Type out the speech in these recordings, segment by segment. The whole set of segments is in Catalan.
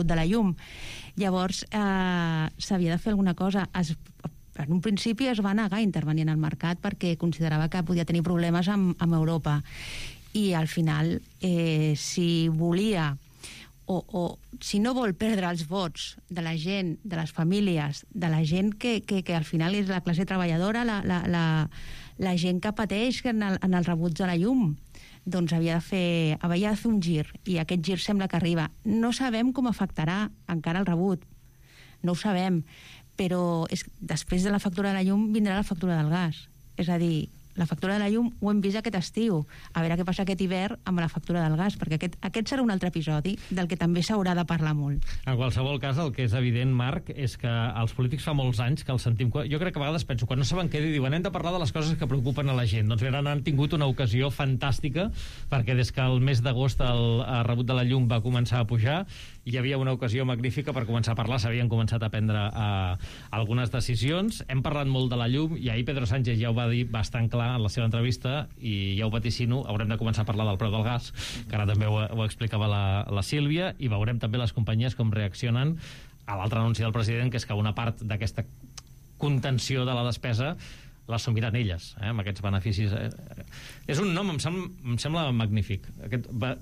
de la llum. Llavors, s'havia de fer alguna cosa. En un principi es va negar a intervenir en el mercat perquè considerava que podia tenir problemes amb Europa. I al final, si volia o si no vol perdre els vots de la gent, de les famílies, de la gent que al final és la classe treballadora, la gent que pateix en el rebuig de la llum, doncs havia de fer un gir, i aquest gir sembla que arriba. No sabem com afectarà encara el rebut, no ho sabem, però després de la factura de la llum vindrà la factura del gas. És a dir, la factura de la llum ho hem vist aquest estiu. A veure què passa aquest hivern amb la factura del gas, perquè aquest serà un altre episodi del que també s'haurà de parlar molt. En qualsevol cas, el que és evident, Marc, és que els polítics fa molts anys que els sentim... Jo crec que a vegades penso, quan no saben què dir, diuen hem de parlar de les coses que preocupen a la gent. Doncs bé, han tingut una ocasió fantàstica, perquè des que el mes d'agost el rebut de la llum va començar a pujar, hi havia una ocasió magnífica per començar a parlar, s'havien començat a prendre algunes decisions. Hem parlat molt de la llum, i ahir Pedro Sánchez ja ho va dir bastant clar en la seva entrevista, i ja ho vaticino, haurem de començar a parlar del preu del gas, que ara també ho explicava la Sílvia, i veurem també les companyies com reaccionen a l'altre anunci del president, que és que una part d'aquesta contenció de la despesa l'assumiran elles, amb aquests beneficis. És un nom, em sembla magnífic,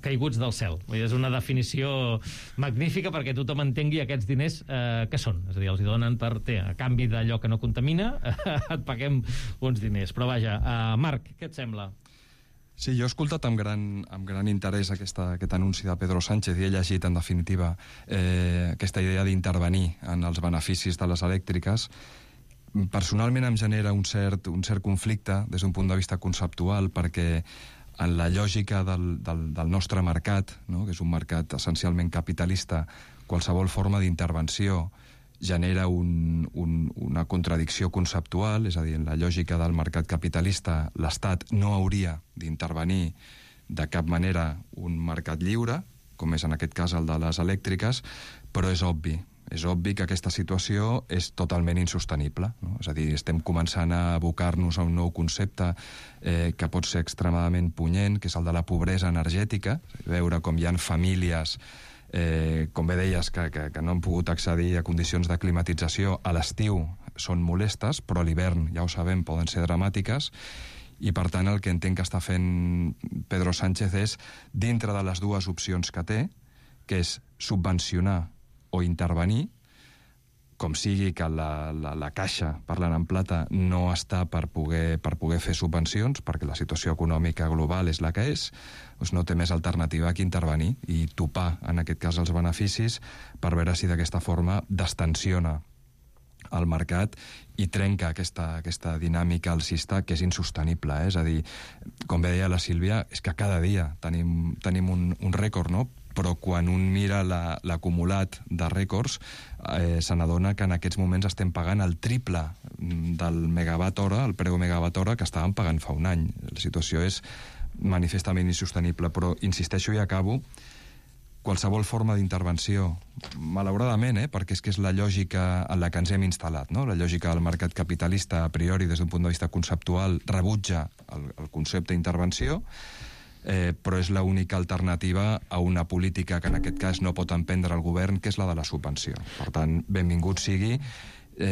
caiguts del cel. És una definició magnífica perquè tothom entengui aquests diners què són. És a dir, els donen a canvi d'allò que no contamina, et paguem uns diners. Però vaja, Marc, què et sembla? Sí, jo he escoltat amb gran interès aquest anunci de Pedro Sánchez i he llegit, en definitiva, aquesta idea d'intervenir en els beneficis de les elèctriques. Personalment em genera un cert conflicte des d'un punt de vista conceptual, perquè en la lògica del nostre mercat, no?, que és un mercat essencialment capitalista, qualsevol forma d'intervenció genera una contradicció conceptual. És a dir, en la lògica del mercat capitalista l'Estat no hauria d'intervenir de cap manera un mercat lliure, com és en aquest cas el de les elèctriques, però és obvi que aquesta situació és totalment insostenible, no? És a dir, estem començant a abocar-nos a un nou concepte que pot ser extremadament punyent, que és el de la pobresa energètica. Veure com hi ha famílies, com bé deies, que no han pogut accedir a condicions de climatització a l'estiu, són molestes, però a l'hivern, ja ho sabem, poden ser dramàtiques. I per tant el que entenc que està fent Pedro Sánchez és, dintre de les dues opcions que té, que és subvencionar o intervenir, com sigui que la caixa, parlant en plata, no està per poder fer subvencions, perquè la situació econòmica global és la que és, doncs no té més alternativa que intervenir i topar, en aquest cas, els beneficis, per veure si d'aquesta forma destensiona el mercat i trenca aquesta dinàmica alcista que és insostenible. És a dir, com bé deia la Sílvia, és que cada dia tenim un rècord, no? Però quan un mira l'acumulat de rècords se n'adona que en aquests moments estem pagant el triple del megawatt hora, el preu megawatt hora que estàvem pagant fa un any. La situació és manifestament insostenible, però insisteixo i acabo, qualsevol forma d'intervenció, malauradament, perquè és que és la lògica en la que ens hem instal·lat, no? La lògica del mercat capitalista, a priori, des d'un punt de vista conceptual, rebutja el concepte d'intervenció, però és l'única alternativa a una política que en aquest cas no pot emprendre el govern, que és la de la subvenció. Per tant, benvingut sigui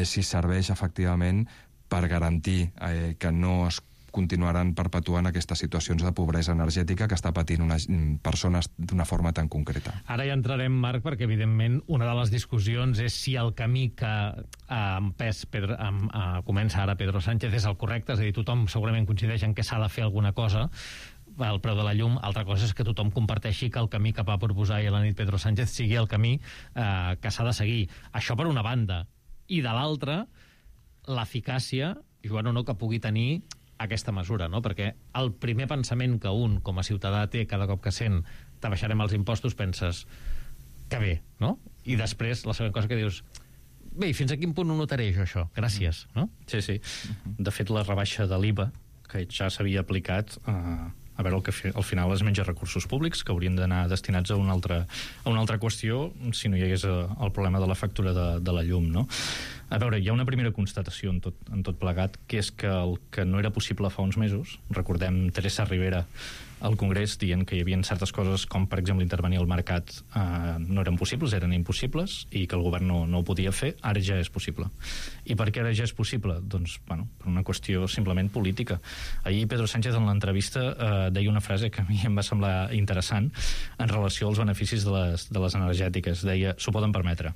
si serveix efectivament per garantir que no es continuaran perpetuant aquestes situacions de pobresa energètica que està patint unes persones d'una forma tan concreta. Ara ja entrarem, Marc, perquè evidentment una de les discussions és si el camí que ha empès comença ara Pedro Sánchez és el correcte, és a dir, tothom segurament coincideix en què s'ha de fer alguna cosa, el preu de la llum. Altra cosa és que tothom comparteixi que el camí que va proposar ahir a la nit Pedro Sánchez sigui el camí que s'ha de seguir. Això per una banda. I de l'altra, l'eficàcia, Joan, o no, que pugui tenir aquesta mesura, no? Perquè el primer pensament que un, com a ciutadà, té cada cop que sent t'abaixarem els impostos, penses que bé, no? I després, la següent cosa que dius, bé, i fins a quin punt ho notaré jo, això? Gràcies, no? Sí. De fet, la rebaixa de l'IVA, que ja s'havia aplicat, a veure, el que al final es menja recursos públics que haurien d'anar destinats a una altra qüestió si no hi hagués el problema de la factura de la llum, no? A veure, hi ha una primera constatació en tot plegat, que és que el que no era possible fa uns mesos, recordem Teresa Rivera al Congrés dient que hi havia certes coses com, per exemple, intervenir al mercat no eren possibles, eren impossibles, i que el govern no ho podia fer. Ara ja és possible. I per què ara ja és possible? Doncs, bueno, per una qüestió simplement política. Ahir Pedro Sánchez en l'entrevista deia una frase que a mi em va semblar interessant en relació als beneficis de les energètiques. Deia, s'ho poden permetre.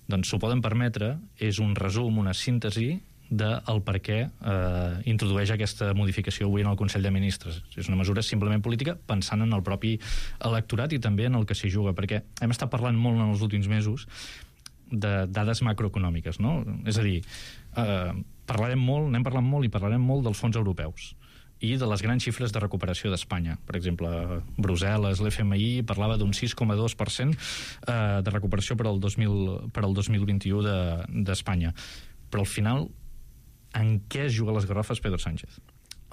Doncs s'ho poden permetre és un resum, una síntesi del per què introdueix aquesta modificació avui en el Consell de Ministres. És una mesura simplement política pensant en el propi electorat i també en el que s'hi juga, perquè hem estat parlant molt en els últims mesos de dades macroeconòmiques, no? És a dir, n'hem parlat molt i parlarem molt dels fons europeus i de les grans xifres de recuperació d'Espanya. Per exemple, Brussel·les, l'FMI parlava d'un 6,2% de recuperació per al 2021 d'Espanya. Però al final, en què es juga les garrofes Pedro Sánchez?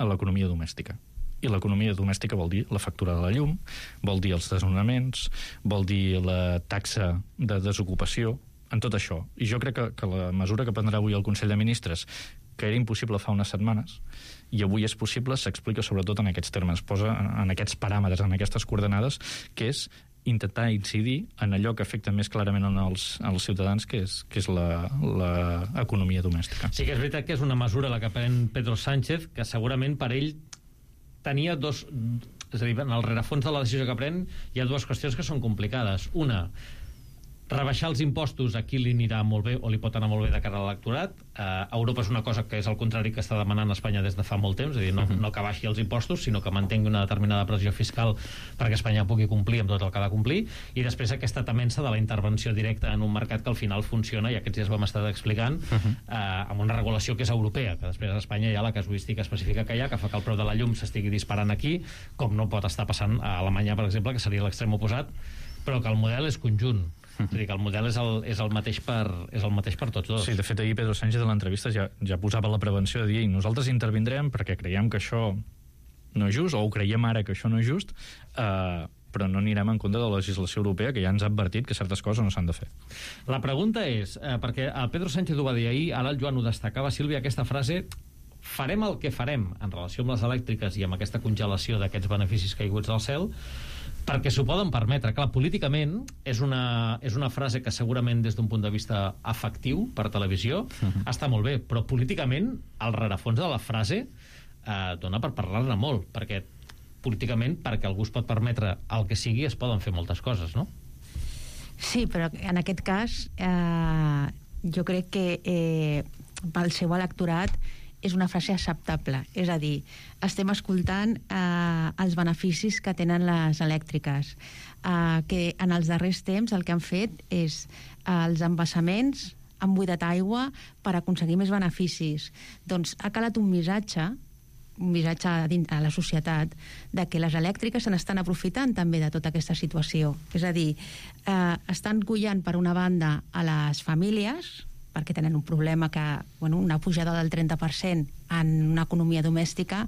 A l'economia domèstica. I l'economia domèstica vol dir la factura de la llum, vol dir els desnonaments, vol dir la taxa de desocupació, en tot això. I jo crec que la mesura que prendrà avui el Consell de Ministres, que era impossible fa unes setmanes, i avui és possible, s'explica sobretot en aquests termes, posa en aquests paràmetres, en aquestes coordenades, que és intentar incidir en allò que afecta més clarament als ciutadans, que és l'economia domèstica. Sí que és veritat que és una mesura la que pren Pedro Sánchez, que segurament per ell tenia dos... És a dir, en el rerefons de la decisió que pren hi ha dues qüestions que són complicades. Una, rebaixar els impostos a qui li anirà molt bé o li pot anar molt bé de cara a l'electorat. Europa és una cosa que és el contrari que està demanant Espanya des de fa molt temps, és a dir, no que baixi els impostos, sinó que mantingui una determinada pressió fiscal perquè Espanya pugui complir amb tot el que ha de complir, i després aquesta temença de la intervenció directa en un mercat que al final funciona, i aquests dies vam estar explicant, amb una regulació que és europea, que després a Espanya hi ha la casuística específica que hi ha, que fa que el preu de la llum s'estigui disparant aquí, com no pot estar passant a Alemanya, per exemple, que seria l'extrem oposat, però que el model és conjunt. És a dir, que el model és el mateix per tots dos. Sí, de fet, ahir Pedro Sánchez a l'entrevista ja posava la prevenció de dir, nosaltres intervindrem perquè creiem que això no és just, o ho creiem ara que això no és just, però no anirem en compte de la legislació europea, que ja ens ha advertit que certes coses no s'han de fer. La pregunta és, perquè el Pedro Sánchez ho va dir ahir, ara el Joan ho destacava, Sílvia, aquesta frase, farem el que farem en relació amb les elèctriques i amb aquesta congelació d'aquests beneficis caiguts del cel, perquè s'ho poden permetre. Clar, políticament és una frase que segurament des d'un punt de vista afectiu per televisió està molt bé, però políticament el rerefons de la frase dona per parlar-ne molt, perquè políticament, perquè algú es pot permetre el que sigui, es poden fer moltes coses, no? Sí, però en aquest cas jo crec que pel seu electorat és una frase acceptable. És a dir, estem escoltant els beneficis que tenen les elèctriques, que en els darrers temps el que han fet és els embassaments han buidat aigua per aconseguir més beneficis. Doncs ha calat un missatge a la societat de que les elèctriques se n'estan aprofitant també de tota aquesta situació. És a dir, estan collant per una banda a les famílies, perquè tenen un problema que una pujada del 30% en una economia domèstica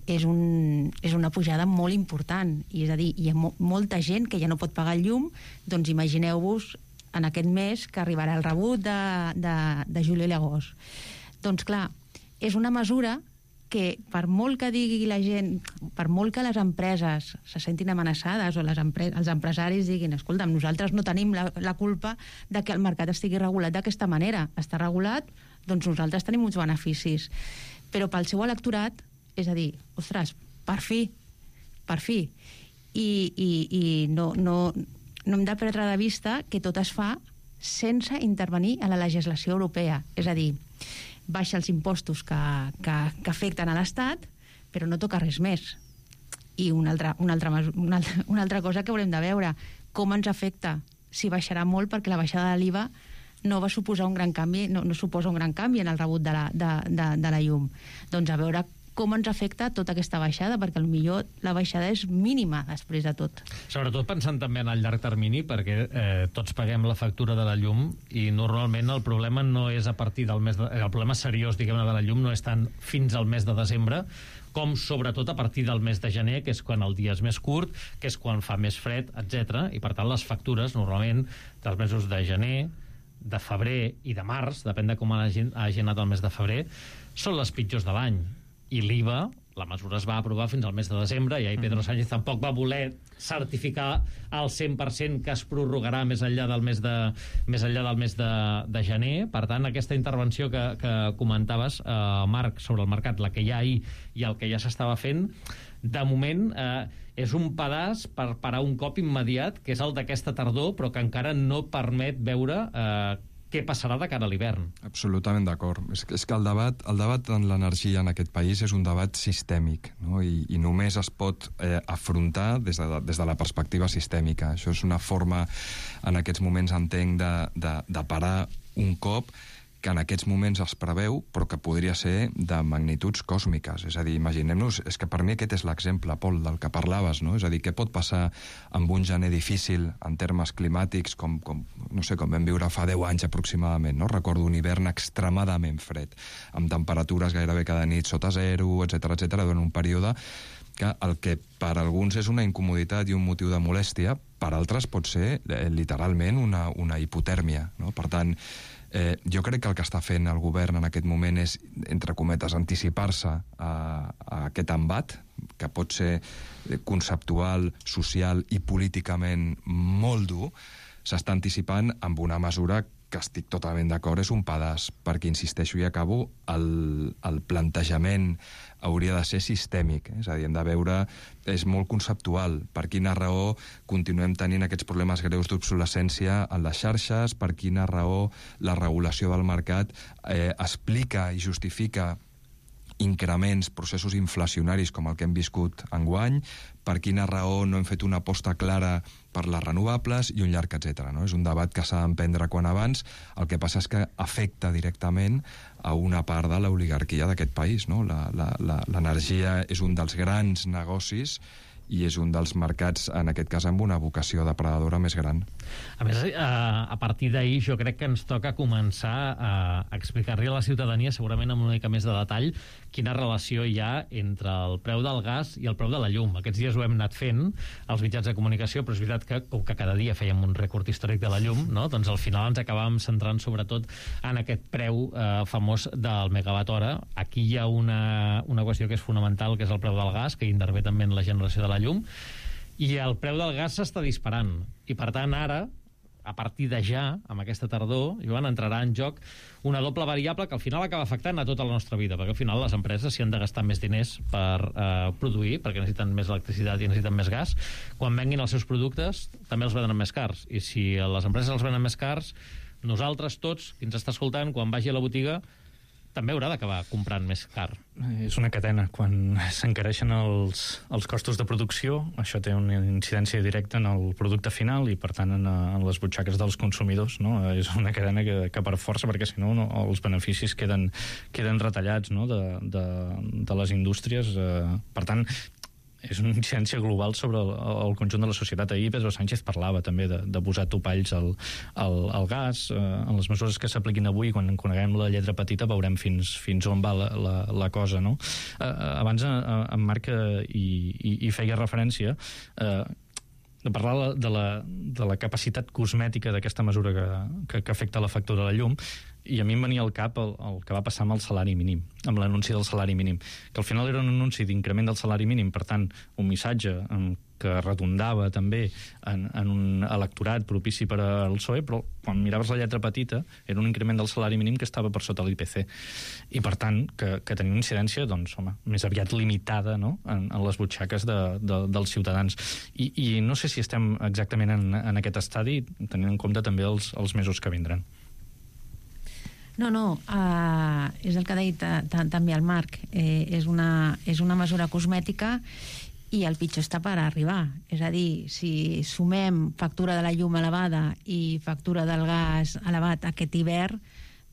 és una pujada molt important. I és a dir, hi ha molta gent que ja no pot pagar el llum, doncs imagineu-vos en aquest mes que arribarà el rebut de juliol i agost. Doncs clar, és una mesura que per molt que digui la gent, per molt que les empreses se sentin amenaçades o els empresaris diguin, escolta'm, nosaltres no tenim la culpa de que el mercat estigui regulat d'aquesta manera. Està regulat, doncs nosaltres tenim uns beneficis. Però pel seu electorat, és a dir, ostres, per fi. I no hem de perdre de vista que tot es fa sense intervenir a la legislació europea. És a dir, baixa els impostos que afecten a l'Estat, però no toca res més. I una altra cosa que haurem de veure, com ens afecta, si baixarà molt, perquè la baixada de l'IVA no va suposar un gran canvi, no suposa un gran canvi en el rebut de la llum. Doncs a veure com ens afecta tota aquesta baixada, perquè potser la baixada és mínima després de tot. Sobretot pensant també en el llarg termini, perquè tots paguem la factura de la llum i normalment el problema no és a partir del mes el problema seriós, diguem-ne, de la llum no és tant fins al mes de desembre, com sobretot a partir del mes de gener, que és quan el dia és més curt, que és quan fa més fred, etc. I per tant les factures normalment dels mesos de gener, de febrer i de març, depèn de com hagi anat el mes de febrer, són les pitjors de l'any. I l'IVA la mesura es va aprovar fins al mes de desembre i ahir Pedro Sánchez tampoc va voler certificar al 100% que es prorrogarà més enllà del mes de gener. Per tant, aquesta intervenció que comentaves, Marc, sobre el mercat, la que hi ha ahir i el que ja s'estava fent, de moment és un pedaç per parar un cop immediat, que és el d'aquesta tardor, però que encara no permet veure què passarà de cara a l'hivern. Absolutament d'acord. És que el debat en l'energia en aquest país és un debat sistèmic, no? I només es pot afrontar des de la perspectiva sistèmica. Això és una forma, en aquests moments entenc, de parar un cop que en aquests moments es preveu, però que podria ser de magnituds còsmiques. És a dir, imaginem-nos, és que per mi aquest és l'exemple, Pol, del que parlaves, no? És a dir, què pot passar amb un gener difícil en termes climàtics, com vam viure fa 10 anys aproximadament, no? Recordo un hivern extremadament fred, amb temperatures gairebé cada nit sota zero, etcètera, durant un període que el que per alguns és una incomoditat i un motiu de molèstia, per altres pot ser literalment una hipotèrmia, no? Per tant, jo crec que el que està fent el govern en aquest moment és, entre cometes, anticipar-se a aquest embat, que pot ser conceptual, social i políticament molt dur. S'està anticipant amb una mesura que estic totalment d'acord, és un pedaç, perquè, insisteixo i acabo, el plantejament hauria de ser sistèmic, és a dir, hem de veure, és molt conceptual, per quina raó continuem tenint aquests problemes greus d'obsolescència en les xarxes, per quina raó la regulació del mercat explica i justifica increments, processos inflacionaris com el que hem viscut enguany, per quina raó no hem fet una aposta clara per les renovables i un llarg etcètera, no? És un debat que s'ha d'emprendre quan abans. El que passa és que afecta directament a una part de l'oligarquia d'aquest país, no? L'energia és un dels grans negocis i és un dels mercats, en aquest cas, amb una vocació depredadora més gran. A més, a partir d'ahir jo crec que ens toca començar a explicar-li a la ciutadania, segurament amb una mica més de detall, quina relació hi ha entre el preu del gas i el preu de la llum. Aquests dies ho hem anat fent als mitjans de comunicació, però és veritat que, com que cada dia fèiem un rècord històric de la llum, no? Doncs al final ens acabàvem centrant sobretot en aquest preu famós del megawatt hora. Aquí hi ha una qüestió que és fonamental, que és el preu del gas, que intervé també en la generació de la llum, i el preu del gas s'està disparant. I per tant ara, a partir de ja, amb aquesta tardor, Joan, entrarà en joc una doble variable que al final acaba afectant a tota la nostra vida, perquè al final les empreses, si han de gastar més diners per produir, perquè necessiten més electricitat i necessiten més gas, quan venguin els seus productes també els venen més cars. I si les empreses els venen més cars, nosaltres tots, qui ens està escoltant, quan vagi a la botiga, també haurà d'acabar comprant més car. És una cadena. Quan s'encareixen els costos de producció, això té una incidència directa en el producte final i, per tant, en les butxaques dels consumidors. No? És una cadena que per força, perquè si no, els beneficis queden retallats, no? de les indústries. Per tant, és una incidència global sobre el conjunt de la societat. Ahir Pedro Sánchez parlava també de posar topalls al gas. En les mesures que s'apliquin avui, quan coneguem la lletra petita, veurem fins on va la cosa, no? Abans en Marc hi feia referència de parlar de la capacitat cosmètica d'aquesta mesura que afecta la factura de la llum, i a mi em venia al cap el que va passar amb el salari mínim, amb l'anunci del salari mínim, que al final era un anunci d'increment del salari mínim, per tant, un missatge que redundava també en un electorat propici per al PSOE, però quan miraves la lletra petita era un increment del salari mínim que estava per sota l'IPC, i per tant que tenia una incidència, doncs, home, més aviat limitada, no? en les butxaques dels ciutadans. I no sé si estem exactament en aquest estadi, tenint en compte també els mesos que vindran. No, és el que ha dit també el Marc. És una mesura cosmètica i el pitjor està per arribar. És a dir, si sumem factura de la llum elevada i factura del gas elevat aquest hivern,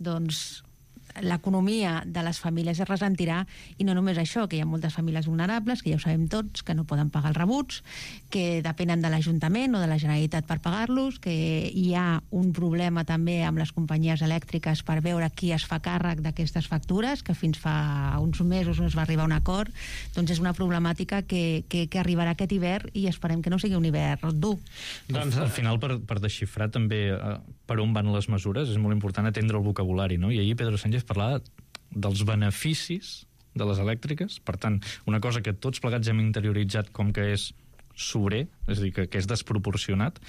doncs l'economia de les famílies es ressentirà, i no només això, que hi ha moltes famílies vulnerables, que ja ho sabem tots, que no poden pagar els rebuts, que depenen de l'Ajuntament o de la Generalitat per pagar-los, que hi ha un problema també amb les companyies elèctriques per veure qui es fa càrrec d'aquestes factures, que fins fa uns mesos no es va arribar a un acord. Doncs és una problemàtica que arribarà aquest hivern, i esperem que no sigui un hivern dur. Doncs al final, per desxifrar també per on van les mesures, és molt important atendre el vocabulari, no? I ahir Pedro Sánchez parlava dels beneficis de les elèctriques, per tant, una cosa que tots plegats hem interioritzat com que és sobrer, és a dir, que és desproporcionat,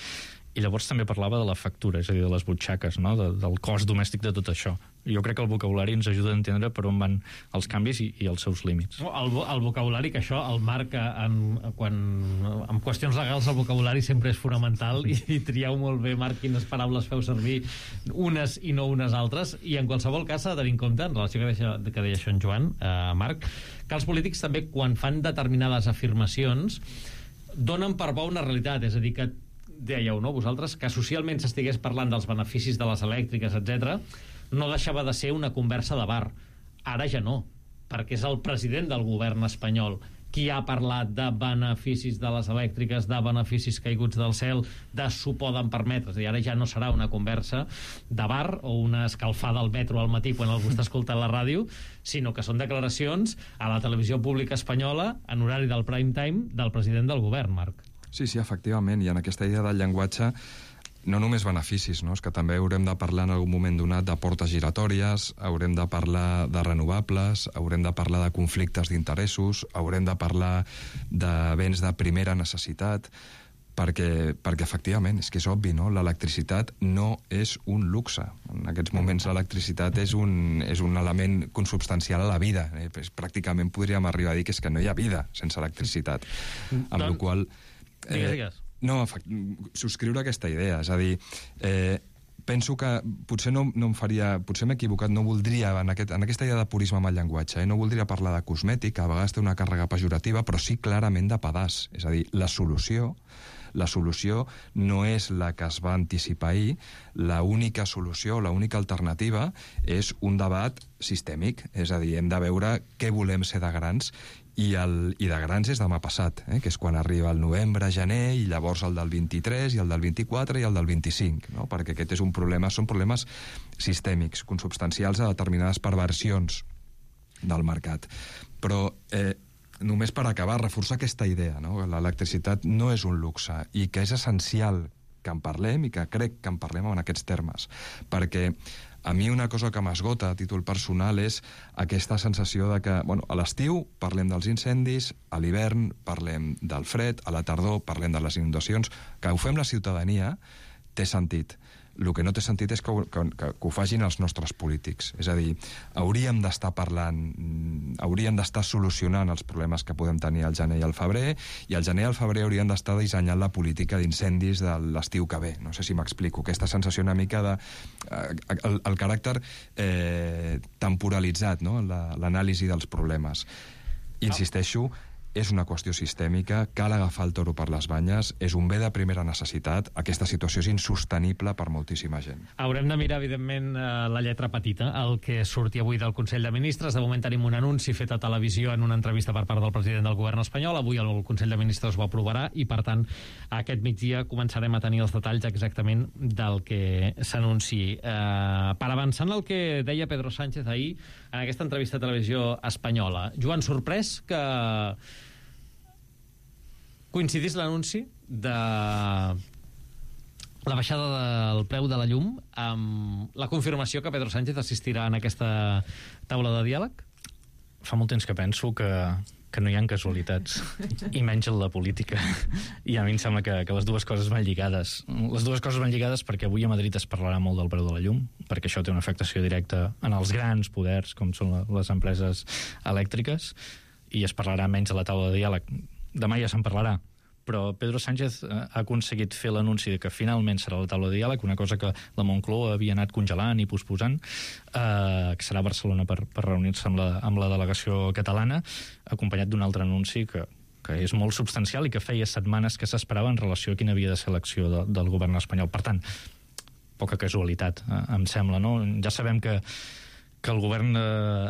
i llavors també parlava de la factura, és a dir, de les butxaques, no? Del cost domèstic de tot això. Jo crec que el vocabulari ens ajuda a entendre per on van els canvis i els seus límits. El vocabulari, que això, el Marc, en qüestions legals el vocabulari sempre és fonamental i trieu molt bé, Marc, quines paraules feu servir, unes i no unes altres, i en qualsevol cas s'ha de tenir en compte, en relació que deia això en Joan, Marc, que els polítics també, quan fan determinades afirmacions, donen per bo una realitat, és a dir, que dèieu, no, vosaltres, que socialment s'estigués parlant dels beneficis de les elèctriques, etc., no deixava de ser una conversa de bar. Ara ja no, perquè és el president del govern espanyol qui ha parlat de beneficis de les elèctriques, de beneficis caiguts del cel, de s'ho poden permetre. És a dir, ara ja no serà una conversa de bar o una escalfada al metro al matí quan algú està escoltant la ràdio, sinó que són declaracions a la televisió pública espanyola en horari del prime time del president del govern, Marc. Sí, efectivament, i en aquesta idea del llenguatge no només beneficis, no? És que també haurem de parlar en algun moment donat de portes giratòries, haurem de parlar de renovables, haurem de parlar de conflictes d'interessos, haurem de parlar de béns de primera necessitat, perquè efectivament, és que és obvi, no? L'electricitat no és un luxe. En aquests moments l'electricitat és un element consubstancial a la vida. Pràcticament podríem arribar a dir que és que no hi ha vida sense electricitat. Amb la qual Digues. No, subscriure aquesta idea, és a dir, penso que potser no em faria, potser m'he equivocat, no voldria, en aquesta idea de purisme amb el llenguatge, no voldria parlar de cosmètic, a vegades té una càrrega pejorativa, però sí clarament de pedaç, és a dir, la solució no és la que es va anticipar ahir, l'única solució, l'única alternativa és un debat sistèmic, és a dir, hem de veure què volem ser de grans, i de grans és demà passat, que és quan arriba el novembre, gener, i llavors el del 23, i el del 24, i el del 25, no? Perquè aquest és un problema, són problemes sistèmics, consubstancials a determinades perversions del mercat. Però només per acabar, reforçar aquesta idea, no? L'electricitat no és un luxe i que és essencial que en parlem i que crec que en parlem en aquests termes, perquè a mi una cosa que m'esgota a títol personal és aquesta sensació de que, bueno, a l'estiu parlem dels incendis, a l'hivern parlem del fred, a la tardor parlem de les inundacions, que ho fem la ciutadania té sentit. El que no té sentit és que ho facin els nostres polítics. És a dir, hauríem d'estar parlant, hauríem d'estar solucionant els problemes que podem tenir al gener i al febrer, i al gener i al febrer hauríem d'estar dissenyant la política d'incendis de l'estiu que ve. No sé si m'explico. Aquesta sensació una mica de el caràcter temporalitzat, no? L'anàlisi dels problemes. Insisteixo, és una qüestió sistèmica, cal agafar el toro per les banyes, és un bé de primera necessitat, aquesta situació és insostenible per moltíssima gent. Haurem de mirar, evidentment, la lletra petita, el que surti avui del Consell de Ministres. De moment tenim un anunci fet a televisió en una entrevista per part del president del govern espanyol. Avui el Consell de Ministres ho aprovarà i, per tant, aquest migdia començarem a tenir els detalls exactament del que s'anunciï. Per avançar en el que deia Pedro Sánchez ahir en aquesta entrevista a televisió espanyola, Joan, sorprès que coincidís l'anunci de la baixada del preu de la llum amb la confirmació que Pedro Sánchez assistirà en aquesta taula de diàleg? Fa molt temps que penso que no hi ha casualitats, i menys en la política. I a mi em sembla que les dues coses van lligades. Les dues coses van lligades perquè avui a Madrid es parlarà molt del preu de la llum, perquè això té una afectació directa en els grans poders, com són les empreses elèctriques, i es parlarà menys a la taula de diàleg. Demà ja se'n parlarà, però Pedro Sánchez ha aconseguit fer l'anunci de que finalment serà la taula de diàleg, una cosa que la Moncloa havia anat congelant i posposant, que serà a Barcelona per reunir-se amb la delegació catalana, acompanyat d'un altre anunci que és molt substancial i que feia setmanes que s'esperava en relació a quina havia de ser l'acció del govern espanyol. Per tant, poca casualitat, em sembla, no? Ja sabem que el govern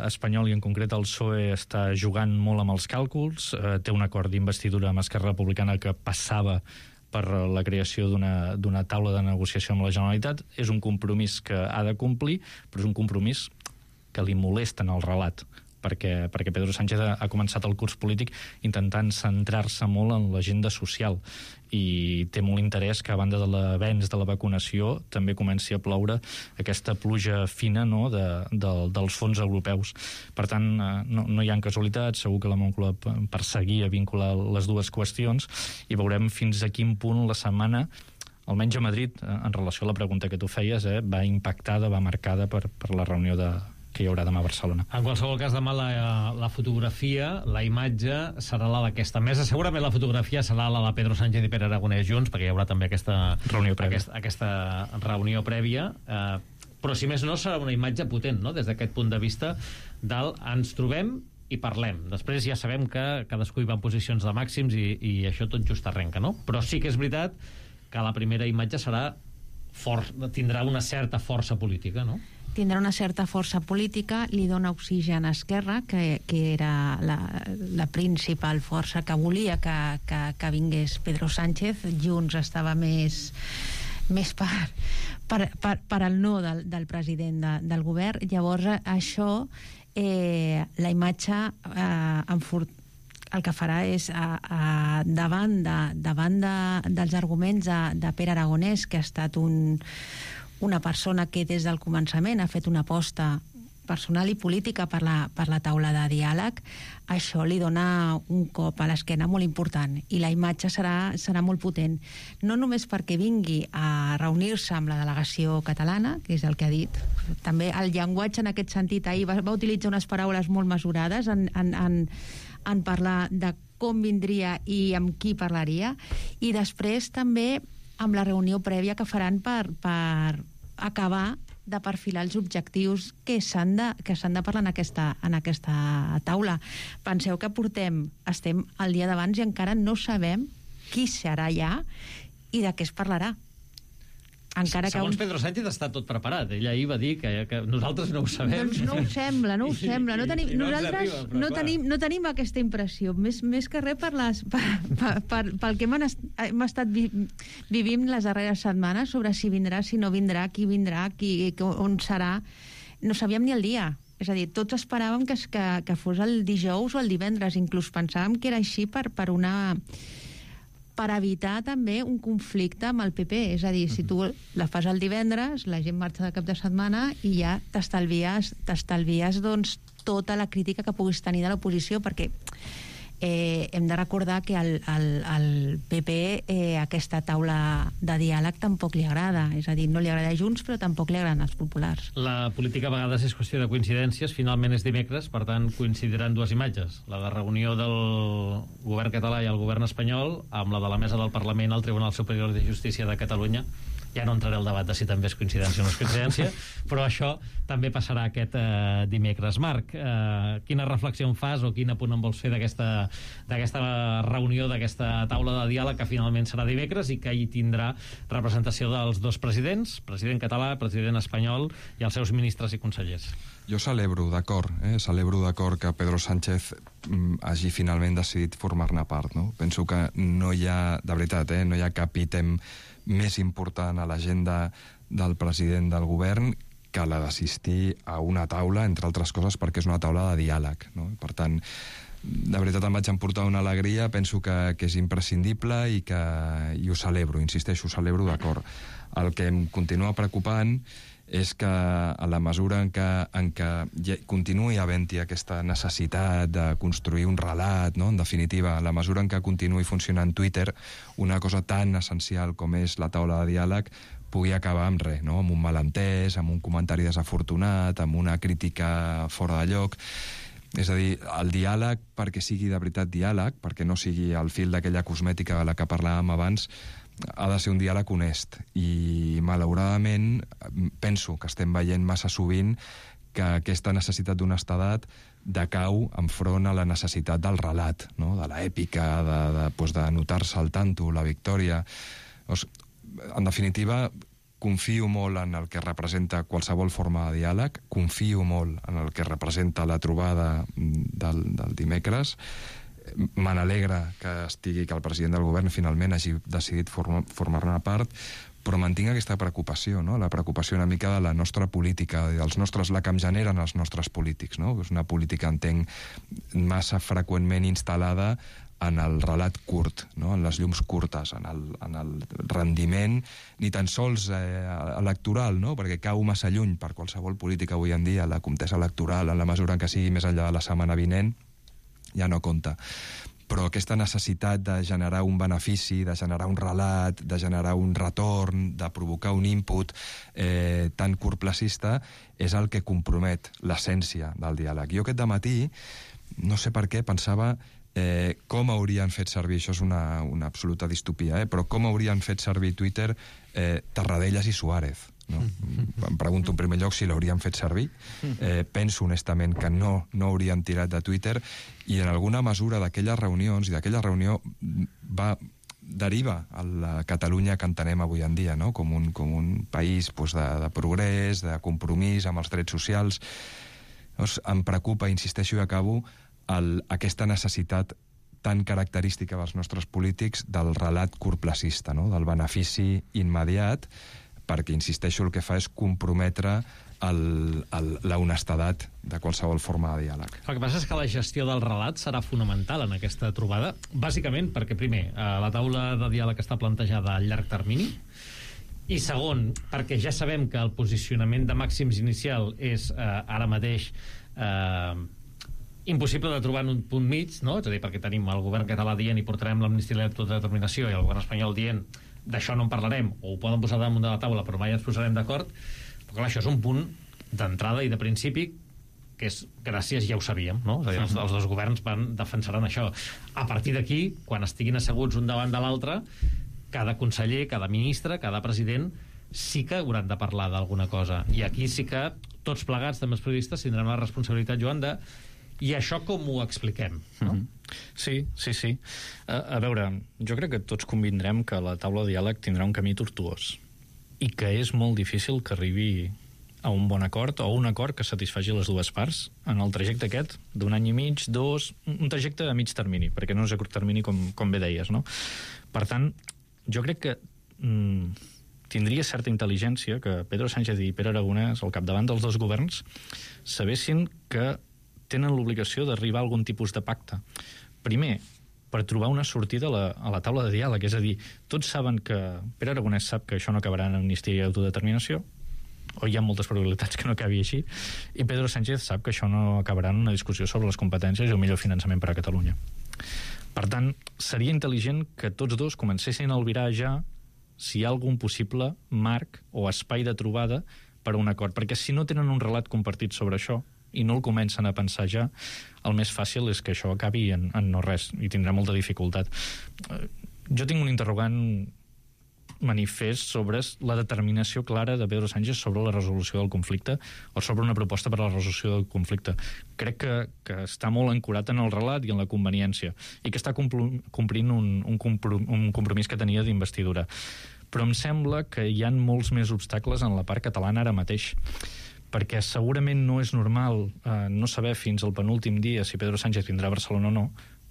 espanyol, i en concret el PSOE, està jugant molt amb els càlculs, té un acord d'investidura amb Esquerra Republicana que passava per la creació d'una taula de negociació amb la Generalitat. És un compromís que ha de complir, però és un compromís que li molesta en el relat, perquè Pedro Sánchez ha començat el curs polític intentant centrar-se molt en l'agenda social i té molt interès que a banda de l'avenç de la vacunació també comenci a ploure aquesta pluja fina, no?, dels fons europeus. Per tant, no hi ha casualitats, segur que la Moncloa perseguia vincular les dues qüestions i veurem fins a quin punt la setmana, almenys a Madrid, en relació a la pregunta que tu feies, va impactada, va marcada per la reunió que hi haurà demà a Barcelona. En qualsevol cas, demà la fotografia, la imatge, serà la d'aquesta mesa. Segurament la fotografia serà la de Pedro Sánchez i Pere Aragonès junts, perquè hi haurà també aquesta reunió prèvia. Però, si més no, serà una imatge potent, no?, des d'aquest punt de vista del ens trobem i parlem. Després ja sabem que cadascú hi va en posicions de màxims i això tot just arrenca, no? Però sí que és veritat que la primera imatge tindrà una certa força política, no? Tindrà una certa força política, li dona oxigen a Esquerra, que era la principal força que volia que vingués Pedro Sánchez. Junts estava més per al no del president del govern. Llavors, això, la imatge el que farà és, davant dels arguments de Pere Aragonès, que ha estat una persona que des del començament ha fet una aposta personal i política per la taula de diàleg, això li dona un cop a l'esquena molt important i la imatge serà molt potent, no només perquè vingui a reunir-se amb la delegació catalana, que és el que ha dit. També el llenguatge en aquest sentit, ahir va utilitzar unes paraules molt mesurades en parlar de com vindria i amb qui parlaria, i després també amb la reunió prèvia que faran per acabar de perfilar els objectius que s'han de parlar en aquesta taula. Penseu que estem el dia d'abans i encara no sabem qui serà allà i de què es parlarà. Segons Pedro Sánchez està tot preparat. Ell ahir va dir que nosaltres no ho sabem. Doncs no ho sembla. Nosaltres no tenim aquesta impressió. Més que res pel que hem estat vivint les darreres setmanes sobre si vindrà, si no vindrà, qui vindrà, on serà. No sabíem ni el dia. És a dir, tots esperàvem que fos el dijous o el divendres. Inclús pensàvem que era així per evitar també un conflicte amb el PP. És a dir, si tu la fas el divendres, la gent marxa de cap de setmana i ja t'estalvies doncs, tota la crítica que puguis tenir de l'oposició, perquè hem de recordar que al PP aquesta taula de diàleg tampoc li agrada. És a dir, no li agrada a Junts, però tampoc li agraden els populars. La política a vegades és qüestió de coincidències. Finalment és dimecres, per tant coincidiran dues imatges. La de reunió del govern català i el govern espanyol amb la de la mesa del Parlament al Tribunal Superior de Justícia de Catalunya. Ja no entraré al debat de si també és coincidència o no és coincidència, però això també passarà aquest dimecres. Marc, quina reflexió en fas o quin apunt en vols fer d'aquesta reunió, d'aquesta taula de diàleg que finalment serà dimecres i que hi tindrà representació dels dos presidents, president català, president espanyol i els seus ministres i consellers? Jo celebro d'acord que Pedro Sánchez hagi finalment decidit formar-ne part, no? Penso que no hi ha, de veritat, no hi ha cap ítem més important a l'agenda del president del govern que la d'assistir a una taula, entre altres coses perquè és una taula de diàleg, no? Per tant, de veritat em vaig emportar una alegria, penso que és imprescindible i ho celebro, insisteixo, ho celebro d'acord. El que em continua preocupant és que a la mesura en què continuï havent-hi aquesta necessitat de construir un relat, no? En definitiva, a la mesura en què continuï funcionant Twitter, una cosa tan essencial com és la taula de diàleg pugui acabar amb res, no? Amb un malentès, amb un comentari desafortunat, amb una crítica fora de lloc. És a dir, el diàleg, perquè sigui de veritat diàleg, perquè no sigui el fil d'aquella cosmètica de la que parlàvem abans, ha de ser un diàleg honest. I, malauradament, penso que estem veient massa sovint que aquesta necessitat d'honestedat decau enfront a la necessitat del relat, no? De l'èpica, de notar-se al tanto, la victòria. En definitiva, confio molt en el que representa qualsevol forma de diàleg, confio molt en el que representa la trobada del dimecres. me n'alegra que el president del govern finalment hagi decidit formar-ne part, però mantinc aquesta preocupació, no? La preocupació una mica de la nostra política, la que em generen els nostres polítics, no? És una política, entenc, massa freqüentment instal·lada en el relat curt, no? En les llums curtes, en el rendiment, ni tan sols electoral, no? Perquè cau massa lluny per qualsevol política avui en dia, la contesa electoral, en la mesura en què sigui més enllà de la setmana vinent, ja no compta. Però aquesta necessitat de generar un benefici, de generar un relat, de generar un retorn, de provocar un input tan curtplacista, és el que compromet l'essència del diàleg. Jo aquest dematí, no sé per què, pensava com haurien fet servir, això és una absoluta distopia, però com haurien fet servir Twitter Tarradellas i Suárez. No? Em pregunto en primer lloc si l'haurien fet servir. Penso honestament que no haurien tirat de Twitter, i en alguna mesura d'aquelles reunions, i d'aquella reunió deriva a la Catalunya que entenem avui en dia, no? com un país de progrés, de compromís amb els drets socials. Llavors, em preocupa, insisteixo i acabo, aquesta necessitat tan característica dels nostres polítics del relat curtplacista, no? Del benefici immediat, perquè, insisteixo, el que fa és comprometre la honestedat de qualsevol forma de diàleg. El que passa és que la gestió del relat serà fonamental en aquesta trobada, bàsicament perquè, primer, la taula de diàleg està plantejada a llarg termini, i segon, perquè ja sabem que el posicionament de màxims inicial és ara mateix impossible de trobar en un punt mig, no? És a dir, perquè tenim el govern català dient i portarem l'amnistia i l'autodeterminació, i el govern espanyol dient d'això no en parlarem, o ho poden posar damunt de la taula però mai ens posarem d'acord. Però clar, això és un punt d'entrada i de principi que és gràcies, ja ho sabíem, no? És a dir, els dos governs defensaran això. A partir d'aquí, quan estiguin asseguts un davant de l'altre, cada conseller, cada ministre, cada president sí que hauran de parlar d'alguna cosa, i aquí sí que tots plegats, també els periodistes, tindrem la responsabilitat, Joan, de i això com ho expliquem, no? Sí. A veure, jo crec que tots convindrem que la taula de diàleg tindrà un camí tortuós i que és molt difícil que arribi a un bon acord o un acord que satisfaci les dues parts en el trajecte aquest d'un any i mig, un trajecte a mig termini, perquè no és a curt termini com bé deies, no? Per tant, jo crec que tindria certa intel·ligència que Pedro Sánchez i Pere Aragonès, al capdavant dels dos governs, sabessin que tenen l'obligació d'arribar a algun tipus de pacte. Primer, per trobar una sortida a la taula de diàleg, és a dir, tots saben que Pere Aragonès sap que això no acabarà en amnistia i autodeterminació, o hi ha moltes probabilitats que no acabi així, i Pedro Sánchez sap que això no acabarà en una discussió sobre les competències i el millor finançament per a Catalunya. Per tant, seria intel·ligent que tots dos comencessin a albirar ja si hi ha algun possible marc o espai de trobada per a un acord, perquè si no tenen un relat compartit sobre això i no el comencen a pensar ja, el més fàcil és que això acabi en no res, i tindrà molta dificultat. Jo tinc un interrogant manifest sobre la determinació clara de Pedro Sánchez sobre la resolució del conflicte o sobre una proposta per a la resolució del conflicte. Crec que està molt ancorat en el relat i en la conveniència, i que està complint un compromís que tenia d'investidura. Però em sembla que hi ha molts més obstacles en la part catalana ara mateix, perquè segurament no és normal no saber fins al penúltim dia si Pedro Sánchez vindrà a Barcelona o no,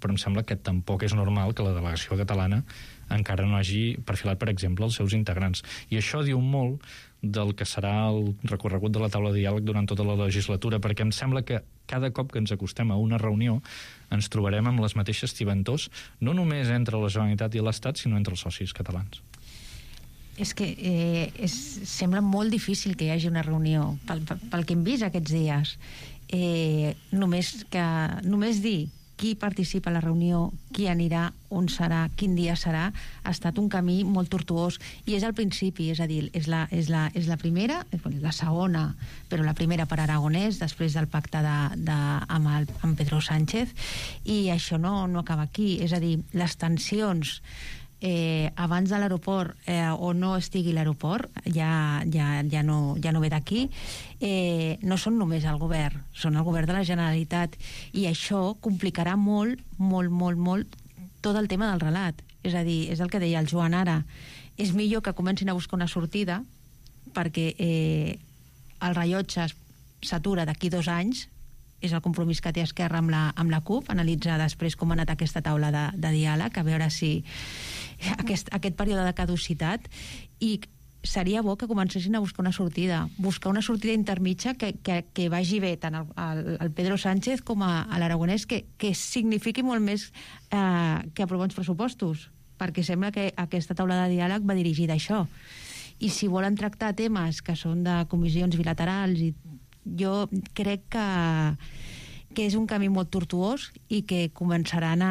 però em sembla que tampoc és normal que la delegació catalana encara no hagi perfilat, per exemple, els seus integrants. I això diu molt del que serà el recorregut de la taula de diàleg durant tota la legislatura, perquè em sembla que cada cop que ens acostem a una reunió ens trobarem amb les mateixes tibantors, no només entre la Generalitat i l'Estat, sinó entre els socis catalans. És que sembla molt difícil que hi hagi una reunió pel que hem vist aquests dies. Només dir qui participa a la reunió, qui anirà, on serà, quin dia serà, ha estat un camí molt tortuós, i és al principi, és a dir, és la primera, la segona, però la primera per Aragonès, després del pacte amb Pedro Sánchez, i això no acaba aquí. És a dir, les tensions abans de l'aeroport o no estigui l'aeroport, ja no ve d'aquí, no són només el govern, són el govern de la Generalitat, i això complicarà molt tot el tema del relat. És a dir, és el que deia el Joan ara, és millor que comencin a buscar una sortida, perquè el rellotge s'atura d'aquí 2 anys, és el compromís que té Esquerra amb la CUP, analitzar després com ha anat aquesta taula de diàleg, a veure si aquest període de caducitat, i seria bo que comencessin a buscar una sortida intermitja que vagi bé tant al Pedro Sánchez com a l'Aragonès, que signifiqui molt més que aprovar uns pressupostos, perquè sembla que aquesta taula de diàleg va dirigida a això. I si volen tractar temes que són de comissions bilaterals, jo crec que és un camí molt tortuós i que començaran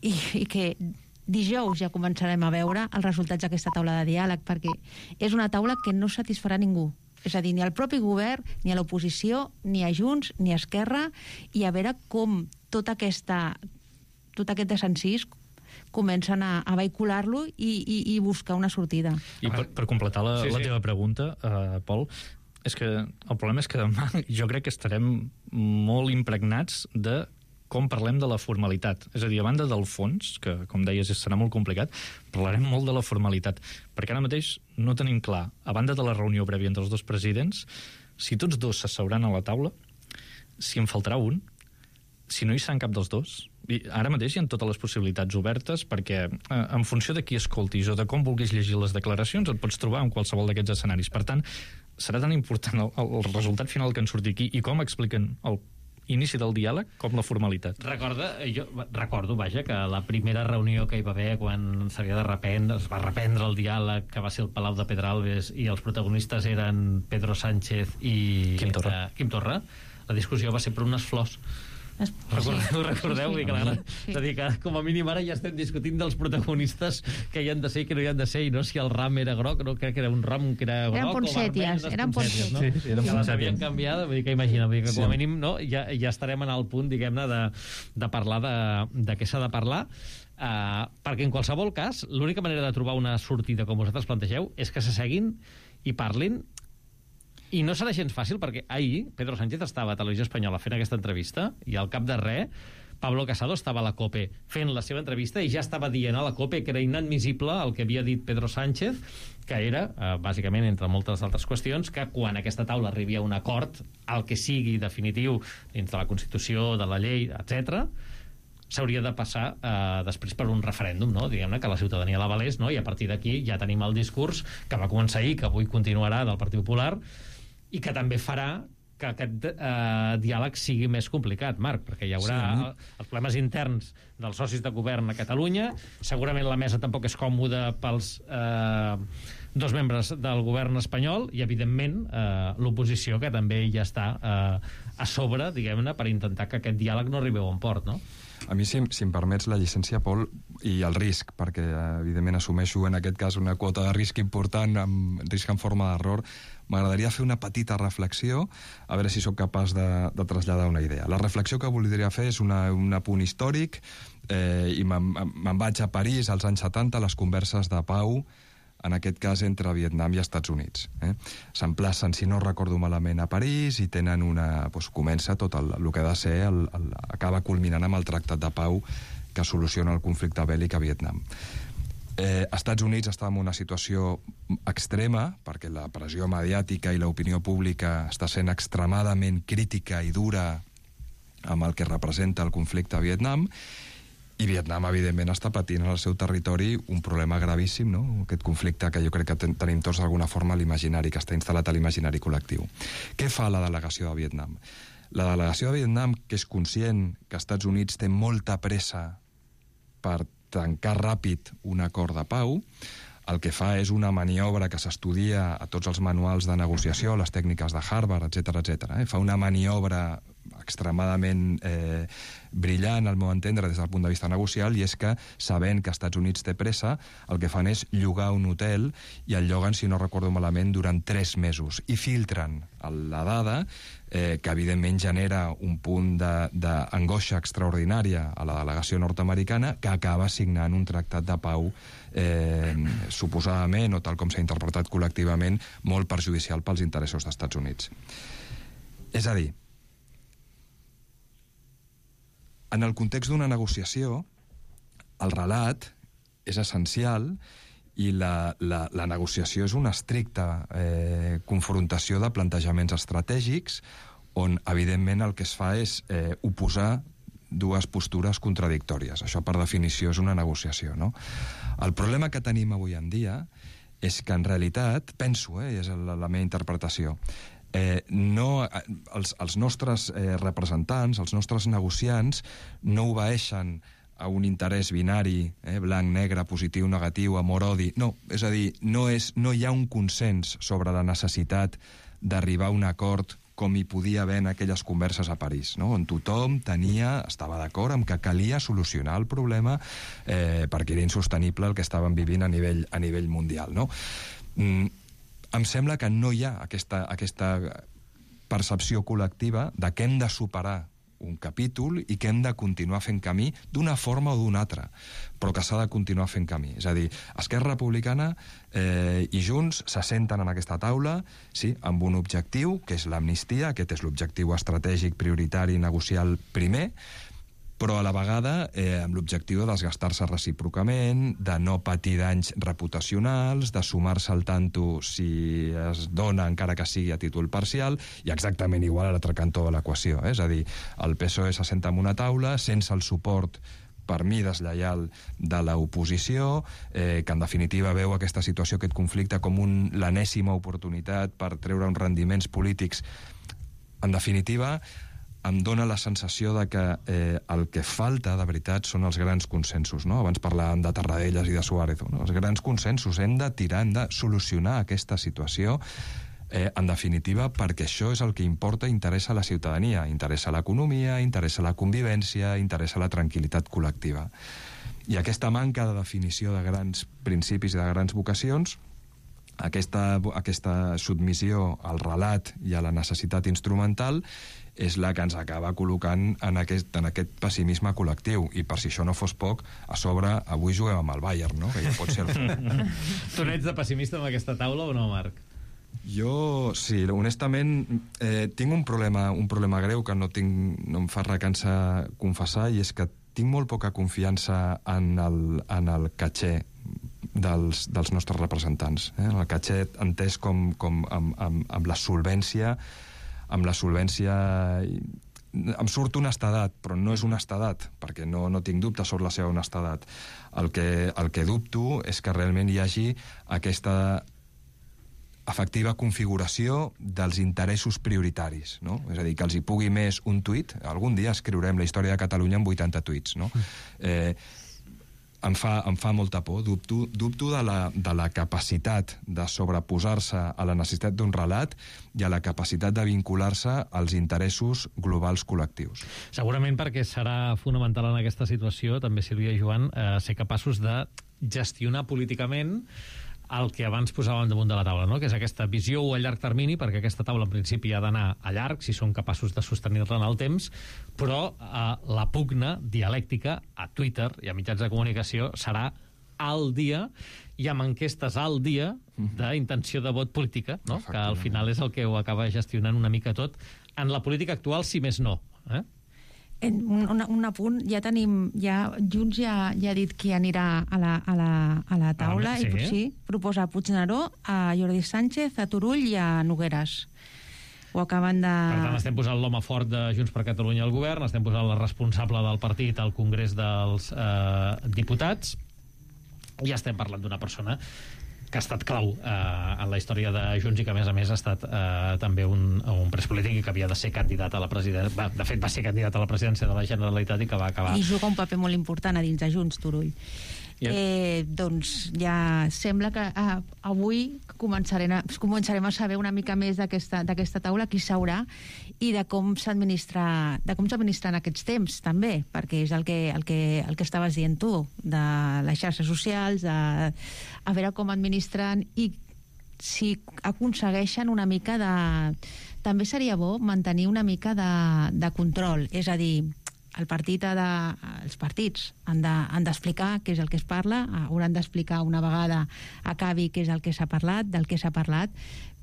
i que dijous ja començarem a veure els resultats d'aquesta taula de diàleg, perquè és una taula que no satisfarà ningú. És a dir, ni al propi govern, ni a l'oposició, ni a Junts, ni a Esquerra, i a veure com tot aquest desencís comencen a vehicular-lo i buscar una sortida. I per completar la teva pregunta, Pol, és que el problema és que demà jo crec que estarem molt impregnats de com parlem de la formalitat. És a dir, a banda del fons, que, com deies, serà molt complicat, parlarem molt de la formalitat. Perquè ara mateix no tenim clar, a banda de la reunió prèvia entre els dos presidents, si tots dos s'asseuran a la taula, si en faltarà un, si no hi serà cap dels dos. I ara mateix hi ha totes les possibilitats obertes, perquè en funció de qui escoltis o de com vulguis llegir les declaracions, et pots trobar en qualsevol d'aquests escenaris. Per tant, serà tan important el resultat final que en surti aquí i com expliquen el inici del diàleg com la formalitat. Jo recordo, que la primera reunió que hi va haver quan es va reprendre el diàleg, que va ser el Palau de Pedralbes, i els protagonistes eren Pedro Sánchez i Quim Torra, la discussió va ser per unes flors. Recordeu? Sí. És a dir, que com a mínim ara ja estem discutint dels protagonistes que hi han de ser i que no hi han de ser, i no si el ram era groc, no, crec que era un ram que era groc, eren ponsèties, no? Sí, eren que les havien canviat, vull dir que imagina, vull dir que com a mínim ja estarem en el punt, diguem-ne, de parlar de què s'ha de parlar, perquè en qualsevol cas l'única manera de trobar una sortida com vosaltres plantegeu és que s'asseguin i parlin. I no serà gens fàcil, perquè ahir Pedro Sánchez estava a Televisió Espanyola fent aquesta entrevista i al cap de res Pablo Casado estava a la COPE fent la seva entrevista i ja estava dient a la COPE que era inadmissible el que havia dit Pedro Sánchez, que era, bàsicament, entre moltes altres qüestions, que quan aquesta taula arribi a un acord, el que sigui definitiu dins de la Constitució, de la llei, etc., s'hauria de passar després per un referèndum, no? Diguem-ne que la ciutadania l'avalés, no? I a partir d'aquí ja tenim el discurs que va començar ahir, que avui continuarà, del Partit Popular, i que també farà que aquest diàleg sigui més complicat, Marc, perquè hi haurà els problemes interns dels socis de govern a Catalunya, segurament la mesa tampoc és còmoda pels dos membres del govern espanyol i, evidentment, l'oposició, que també ja està a sobre, diguem-ne, per intentar que aquest diàleg no arribi a bon port, no? A mi, si em permets la llicència, Pol, i el risc, perquè evidentment assumeixo en aquest cas una quota de risc important, amb risc en forma d'error, m'agradaria fer una petita reflexió, a veure si sóc capaç de traslladar una idea. La reflexió que voldria fer és un apunt històric, i me'n vaig a París als anys 70, les converses de pau, en aquest cas entre Vietnam i Estats Units. S'emplacen, si no recordo malament, a París i tenen comença tot el que ha de ser, acaba culminant amb el tractat de pau que soluciona el conflicte bèl·lic a Vietnam. Estats Units està en una situació extrema, perquè la pressió mediàtica i l'opinió pública està sent extremadament crítica i dura amb el que representa el conflicte a Vietnam, i Vietnam, evidentment, està patint en el seu territori un problema gravíssim, no? Aquest conflicte que jo crec que tenim tots d'alguna forma a l'imaginari, que està instal·lat a l'imaginari col·lectiu. Què fa la delegació de Vietnam? La delegació de Vietnam, que és conscient que Estats Units té molta pressa per tancar ràpid un acord de pau, el que fa és una maniobra que s'estudia a tots els manuals de negociació, les tècniques de Harvard, etc. Fa una maniobra extremadament brillant, al meu entendre, des del punt de vista negocial, i és que, sabent que Estats Units té pressa, el que fan és llogar un hotel, i el lloguen, si no recordo malament, durant 3 mesos, i filtren la dada, que evidentment genera un punt d'angoixa extraordinària a la delegació nord-americana, que acaba signant un tractat de pau suposadament, o tal com s'ha interpretat col·lectivament, molt perjudicial pels interessos d'Estats Units. És a dir, en el context d'una negociació, el relat és essencial i la negociació és una estricta confrontació de plantejaments estratègics on, evidentment, el que es fa és oposar dues postures contradictòries. Això, per definició, és una negociació, no? El problema que tenim avui en dia és que, en realitat, penso, és la meva interpretació, els nostres representants, els nostres negociants, no obeeixen a un interès binari, blanc, negre, positiu, negatiu, amor, odi. No, és a dir, no hi ha un consens sobre la necessitat d'arribar a un acord com hi podia haver en aquelles converses a París, no? On tothom estava d'acord amb que calia solucionar el problema perquè era insostenible el que estàvem vivint a nivell mundial, no? Em sembla que no hi ha aquesta percepció col·lectiva de que hem de superar un capítol i que hem de continuar fent camí d'una forma o d'una altra, però que s'ha de continuar fent camí. És a dir, Esquerra Republicana i Junts se senten en aquesta taula, sí, amb un objectiu, que és l'amnistia, aquest és l'objectiu estratègic, prioritari, negocial primer, però a la vegada amb l'objectiu de desgastar-se recíprocament, de no patir danys reputacionals, de sumar-se al tanto si es dona, encara que sigui a títol parcial, i exactament igual a l'altre cantó de l'equació. És a dir, el PSOE s'assenta en una taula sense el suport, per mi, deslleial de l'oposició, que en definitiva veu aquesta situació, aquest conflicte, com l'enèsima oportunitat per treure uns rendiments polítics. En definitiva, em dóna la sensació de que el que falta, de veritat, són els grans consensos, no? Abans parlàvem de Tarradellas i de Suárez, no? Els grans consensos. Hem de tirar, hem de solucionar aquesta situació, en definitiva, perquè això és el que importa i interessa a la ciutadania. Interessa l'economia, interessa la convivència, interessa la tranquil·litat col·lectiva. I aquesta manca de definició de grans principis i de grans vocacions, aquesta submissió al relat i a la necessitat instrumental, és la que ens acaba col·locant en aquest pessimisme col·lectiu. I per si això no fos poc, a sobre, avui juguem amb el Bayern, no? Que ja pot ser Tu n'ets de pessimista amb aquesta taula o no, Marc? Jo, sí, honestament, tinc un problema greu que no em fa recança confessar, i és que tinc molt poca confiança en el caché dels nostres representants. El caché entès com amb la solvència, em surt honestedat, però no és honestedat, perquè no tinc dubte sobre la seva honestedat. El que dubto és que realment hi hagi aquesta efectiva configuració dels interessos prioritaris, no? És a dir, que els hi pugui més un tuit. Algun dia escriurem la història de Catalunya amb 80 tuits, no? Em fa molta por. Dubto de la capacitat de sobreposar-se a la necessitat d'un relat i a la capacitat de vincular-se als interessos globals col·lectius. Segurament perquè serà fonamental en aquesta situació, també, Sílvia i Joan, ser capaços de gestionar políticament el que abans posàvem damunt de la taula, no? Que és aquesta visió a llarg termini, perquè aquesta taula en principi ha d'anar a llarg, si són capaços de sostenir-la en el temps, però la pugna dialèctica a Twitter i a mitjans de comunicació serà al dia i amb enquestes al dia d'intenció de vot política, no? Que al final és el que ho acaba gestionant una mica tot en la política actual, si més no. Un apunt, Junts ja ha dit qui anirà a la taula, sí? I sí, proposa a Puigneró, a Jordi Sánchez, a Turull i a Nogueras. Ho acaben de... Per tant, estem posant l'home fort de Junts per Catalunya al govern, estem posant la responsable del partit al Congrés dels Diputats, i estem parlant d'una persona que ha estat clau en la història de Junts i que, a més, ha estat també un pres polític i que havia de ser candidat a la presidència. De fet, va ser candidat a la presidència de la Generalitat i que va acabar... I juga un paper molt important a dins de Junts, Turull. Doncs ja sembla que avui començarem a saber una mica més d'aquesta taula, qui s'haurà i de com s'administren aquests temps, també, perquè és el que estaves dient tu, de les xarxes socials, a veure com administren i si aconsegueixen una mica de... També seria bo mantenir una mica de control, és a dir, els partits han d'explicar què és el que es parla, hauran d'explicar una vegada acabi què és el que s'ha parlat, del que s'ha parlat,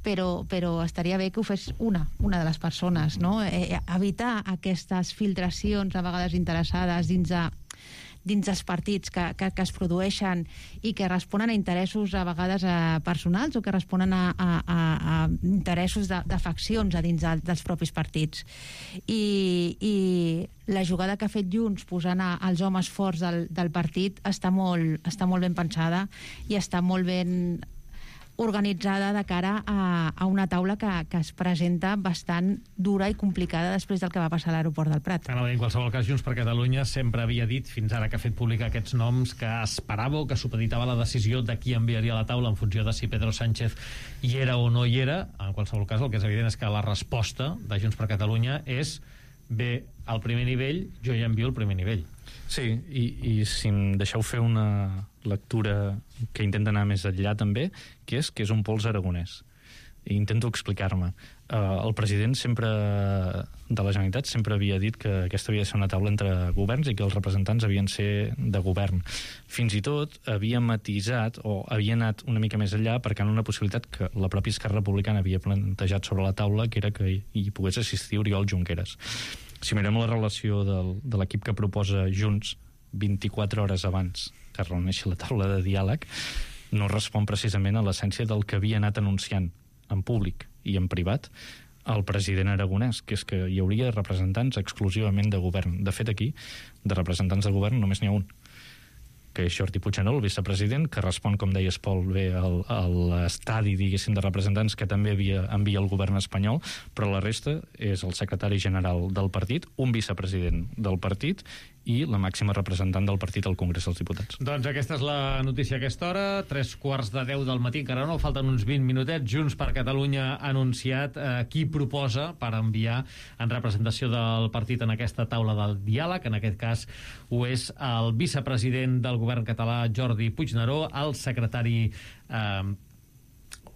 però estaria bé que ho fes una de les persones, no? Evitar aquestes filtracions a vegades interessades dins dels partits que es produeixen i que responen a interessos a vegades personals o que responen a interessos de faccions a dins dels propis partits. I la jugada que ha fet Junts posant els homes forts del partit està molt ben pensada i està molt ben organitzada de cara a una taula que es presenta bastant dura i complicada després del que va passar a l'aeroport del Prat. En qualsevol cas, Junts per Catalunya sempre havia dit, fins ara que ha fet pública aquests noms, que esperava o que supeditava la decisió de qui enviaria a la taula en funció de si Pedro Sánchez hi era o no hi era. En qualsevol cas, el que és evident és que la resposta de Junts per Catalunya és: bé, al primer nivell, jo ja envio el primer nivell. Sí, i si em deixeu fer una lectura que intenta anar més enllà també, que és un pols aragonès. I intento explicar-me. El president sempre de la Generalitat sempre havia dit que aquesta havia de ser una taula entre governs i que els representants havien de ser de govern. Fins i tot havia matisat o havia anat una mica més enllà perquè en una possibilitat que la pròpia Esquerra Republicana havia plantejat sobre la taula, que era que hi pogués assistir Oriol Junqueras. Si mirem la relació de l'equip que proposa Junts 24 hores abans que reuneixi la taula de diàleg, no respon precisament a l'essència del que havia anat anunciant en públic i en privat el president aragonès, que és que hi hauria representants exclusivament de govern. De fet, aquí, de representants de govern només n'hi ha un, que és Jordi Puigneró, el vicepresident, que respon, com deies, Pol, bé a l'estadi, diguéssim, de representants que també envia el govern espanyol, però la resta és el secretari general del partit, un vicepresident del partit i la màxima representant del partit al Congrés dels Diputats. Doncs aquesta és la notícia a aquesta hora, 3:15 del matí, encara no, falten uns 20 minutets. Junts per Catalunya ha anunciat qui proposa per enviar en representació del partit en aquesta taula del diàleg. En aquest cas ho és el vicepresident del govern català, Jordi Puigneró, el secretari...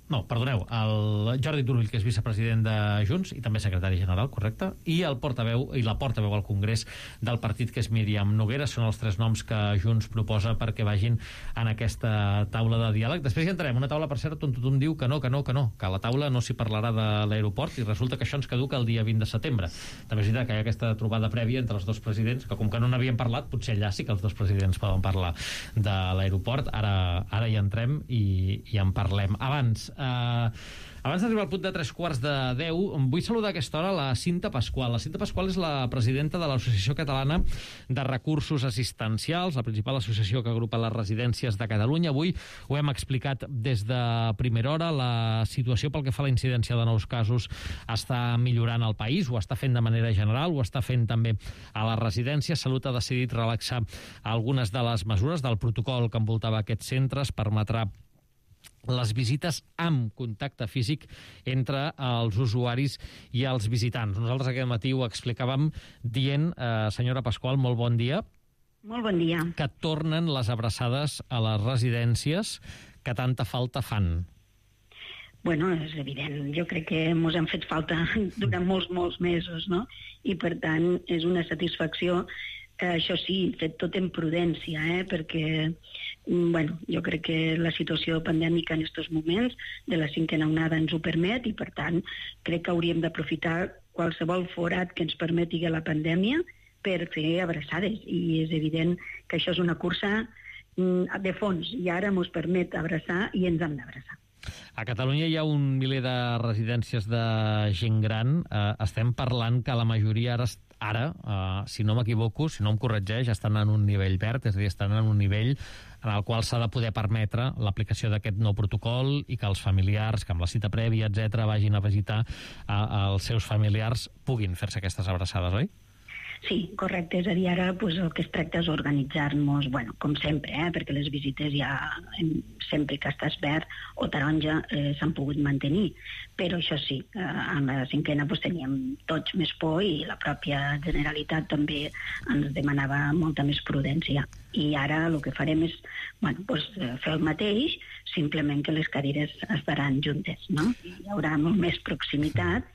el Jordi Turull, que és vicepresident de Junts i també secretari general, correcte, i la portaveu al Congrés del partit, que és Míriam Noguera. Són els 3 noms que Junts proposa perquè vagin en aquesta taula de diàleg. Després hi entrarem, una taula, per cert, on tothom diu que no, que a la taula no s'hi parlarà de l'aeroport, i resulta que això ens caduca el dia 20 de setembre. També és veritat que hi ha aquesta trobada prèvia entre els dos presidents, que com que no n'havien parlat, potser allà sí que els dos presidents poden parlar de l'aeroport. Ara hi entrem i en parlem. Abans d'arribar al punt de 3:15, vull saludar a aquesta hora la Cinta Pasqual. La Cinta Pasqual és la presidenta de l'Associació Catalana de Recursos Assistencials, la principal associació que agrupa les residències de Catalunya. Avui ho hem explicat des de primera hora. La situació pel que fa a la incidència de nous casos està millorant al país, ho està fent de manera general, ho està fent també a les residències. Salut ha decidit relaxar algunes de les mesures del protocol que envoltava aquests centres, permetrà les visites amb contacte físic entre els usuaris i els visitants. Nosaltres aquest matí ho explicàvem dient, senyora Pasqual, molt bon dia. Molt bon dia. Que tornen les abraçades a les residències que tanta falta fan. Bueno, és evident. Jo crec que ens han fet falta durant molts mesos, no? I, per tant, és una satisfacció. Això sí, fet tot en prudència, perquè jo crec que la situació pandèmica en aquests moments de la 5ª onada ens ho permet, i per tant crec que hauríem d'aprofitar qualsevol forat que ens permeti la pandèmia per fer abraçades, i és evident que això és una cursa de fons, i ara ens permet abraçar i ens hem d'abraçar. A Catalunya hi ha un miler de residències de gent gran. Estem parlant que la majoria ara, si no m'equivoco, si no em corregeix, estan en un nivell verd, és a dir, estan en un nivell en el qual s'ha de poder permetre l'aplicació d'aquest nou protocol i que els familiars, que amb la cita prèvia, etc., vagin a visitar els seus familiars, puguin fer-se aquestes abraçades, oi? Sí, correcte. És a dir, ara el que es tracta és organitzar-nos, com sempre, perquè les visites ja sempre que estàs verd o taronja s'han pogut mantenir. Però això sí, amb la 5ª teníem tots més por, i la pròpia Generalitat també ens demanava molta més prudència. I ara el que farem és fer el mateix, simplement que les cadires estaran juntes, no? Hi haurà molt més proximitat,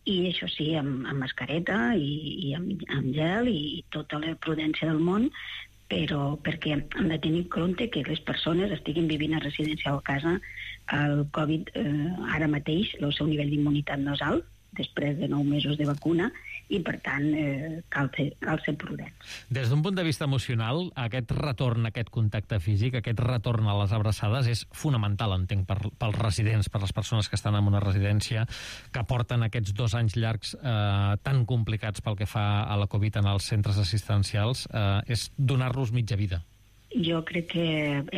i això sí, amb mascareta i amb gel i tota la prudència del món, però perquè hem de tenir en compte que les persones estiguin vivint a residència o a casa, el Covid ara mateix, el seu nivell d'immunitat no és alt, després de 9 mesos de vacuna, i per tant cal ser prudents. Des d'un punt de vista emocional, aquest retorn, aquest contacte físic, aquest retorn a les abraçades és fonamental, entenc, pels residents, per les persones que estan en una residència, que porten aquests 2 anys llargs tan complicats pel que fa a la Covid en els centres assistencials, és donar-los mitja vida. Jo crec que,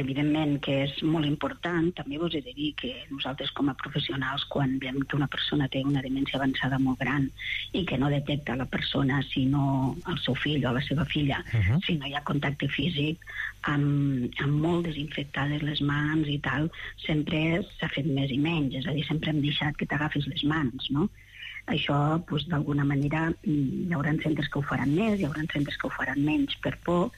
evidentment, que és molt important. També vos he de dir que nosaltres, com a professionals, quan veiem que una persona té una demència avançada molt gran i que no detecta la persona, sinó el seu fill o la seva filla, si no hi ha contacte físic, amb molt desinfectades les mans i tal, sempre s'ha fet més i menys. És a dir, sempre hem deixat que t'agafis les mans, no? Això, doncs, d'alguna manera, hi haurà centres que ho faran més, hi haurà centres que ho faran menys per por.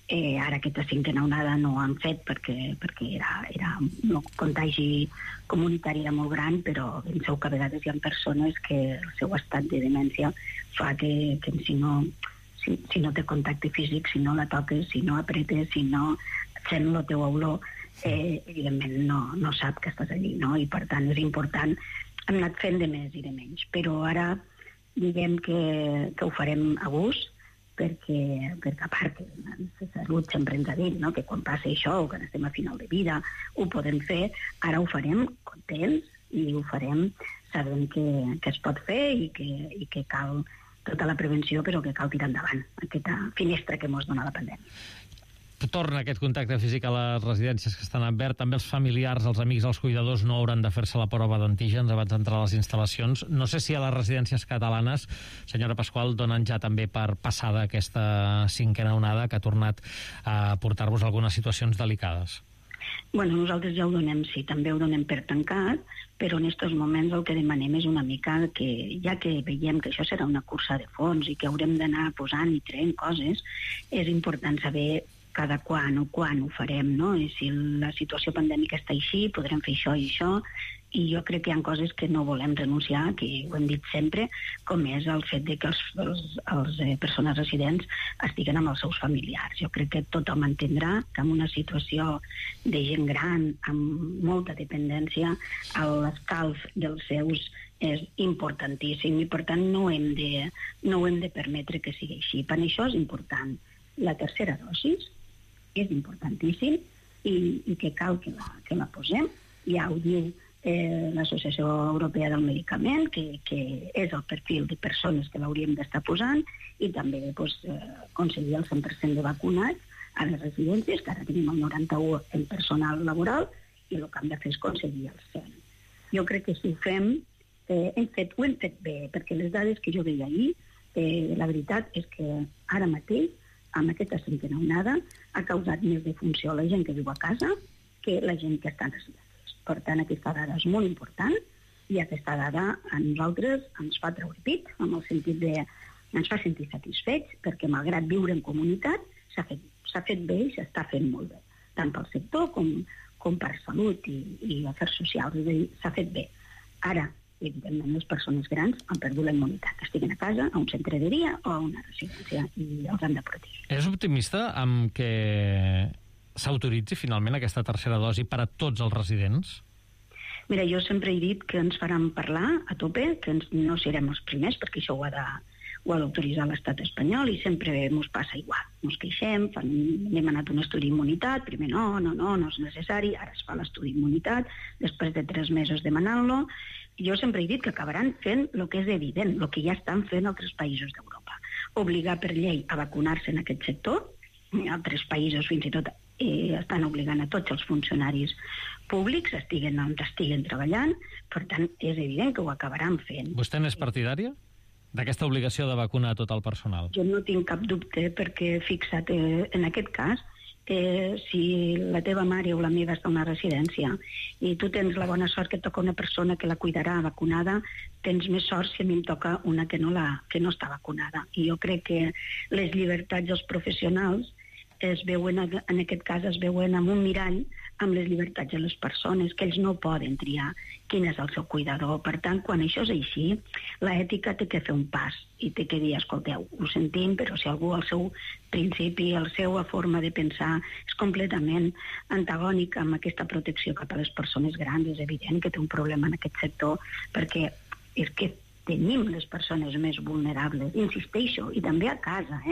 Ara aquesta 5a onada no ho han fet perquè era un contagi comunitari era molt gran, però penseu que a vegades hi ha persones que el seu estat de demència fa que si no té contacte físic, si no la toques, si no apretes, si no sent la teua olor, evidentment no sap que estàs allí, no? I per tant és important. Hem anat fent de més i de menys, però ara diguem que ho farem a gust, perquè a part la salut sempre ens ha dit, no?, que quan passa això o quan estem a final de vida ho podem fer. Ara ho farem contents i ho farem sabent que es pot fer i que cal tota la prevenció, però que cal tirar endavant aquesta finestra que ens dona la pandèmia. Torna aquest contacte físic a les residències que estan en verd. També els familiars, els amics, els cuidadors no hauran de fer-se la prova d'antígens abans d'entrar a les instal·lacions. No sé si a les residències catalanes, senyora Pasqual, donen ja també per passada aquesta 5a onada que ha tornat a portar-vos algunes situacions delicades. Bueno, nosaltres ja ho donem, sí, també ho donem per tancat, però en aquests moments el que demanem és una mica que, ja que veiem que això serà una cursa de fons i que haurem d'anar posant i traient coses, és important saber cada quan ho farem, no? I si la situació pandèmica està així, podrem fer això i això, i jo crec que hi ha coses que no volem renunciar, que ho hem dit sempre, com és el fet de que els persones residents estiguen amb els seus familiars. Jo crec que tothom entendrà que en una situació de gent gran, amb molta dependència, l'escalf dels seus és importantíssim i per tant no hem de permetre que sigui així. Per això és important la 3a dosi, és importantíssim i que cal que la posem. Ja ho diu l'Associació Europea del Medicament, que és el perfil de persones que l'hauríem d'estar posant, i també aconseguir el 100% de vacunats a les residències, que ara tenim el 91% en personal laboral, i el que hem de fer és aconseguir el 100%. Jo crec que si ho fem, ho hem fet bé, perquè les dades que jo veia ahir, la veritat és que ara mateix amb aquesta 5a onada ha causat més defunció la gent que viu a casa que la gent que està en residències. Per tant, aquesta dada és molt important i aquesta dada a nosaltres ens fa treure pit, en el sentit de ens fa sentir satisfets, perquè malgrat viure en comunitat s'ha fet bé i s'està fent molt bé, tant pel sector com per salut i afers socials. És a dir, s'ha fet bé. Ara, evidentment, les persones grans han perdut la immunitat. Estiguen a casa, a un centre de dia o a una residència, i els han de protegir. És optimista amb que s'autoritzi finalment aquesta 3a dosi per a tots els residents? Mira, jo sempre he dit que ens faran parlar a tope, que no serem els primers, perquè això ho ha d'autoritzar l'estat espanyol, i sempre ens passa igual. Ens queixem, hem demanat un estudi d'immunitat, primer no és necessari, ara es fa l'estudi d'immunitat, després de 3 mesos demanant-lo. Jo sempre he dit que acabaran fent el que és evident, el que ja estan fent altres països d'Europa. Obligar per llei a vacunar-se en aquest sector. Altres països fins i tot estan obligant a tots els funcionaris públics, estiguen on estiguen treballant, per tant, és evident que ho acabaran fent. Vostè n'és partidària d'aquesta obligació de vacunar a tot el personal? Jo no tinc cap dubte, perquè fixa't, en aquest cas, si la teva mare o la meva està a una residència i tu tens la bona sort que et toca una persona que la cuidarà vacunada, tens més sort si a mi em toca una que no està vacunada. I jo crec que les llibertats dels professionals es veuen, en aquest cas es veuen amb un mirall amb les llibertats de les persones, que ells no poden triar quin és el seu cuidador. Per tant, quan això és així, l'ètica té que fer un pas i té que dir, escolteu, ho sentim, però si algú el seu principi, la seva forma de pensar és completament antagònic amb aquesta protecció cap a les persones grans, és evident que té un problema en aquest sector, perquè és que tenim les persones més vulnerables, insisteixo, i també a casa,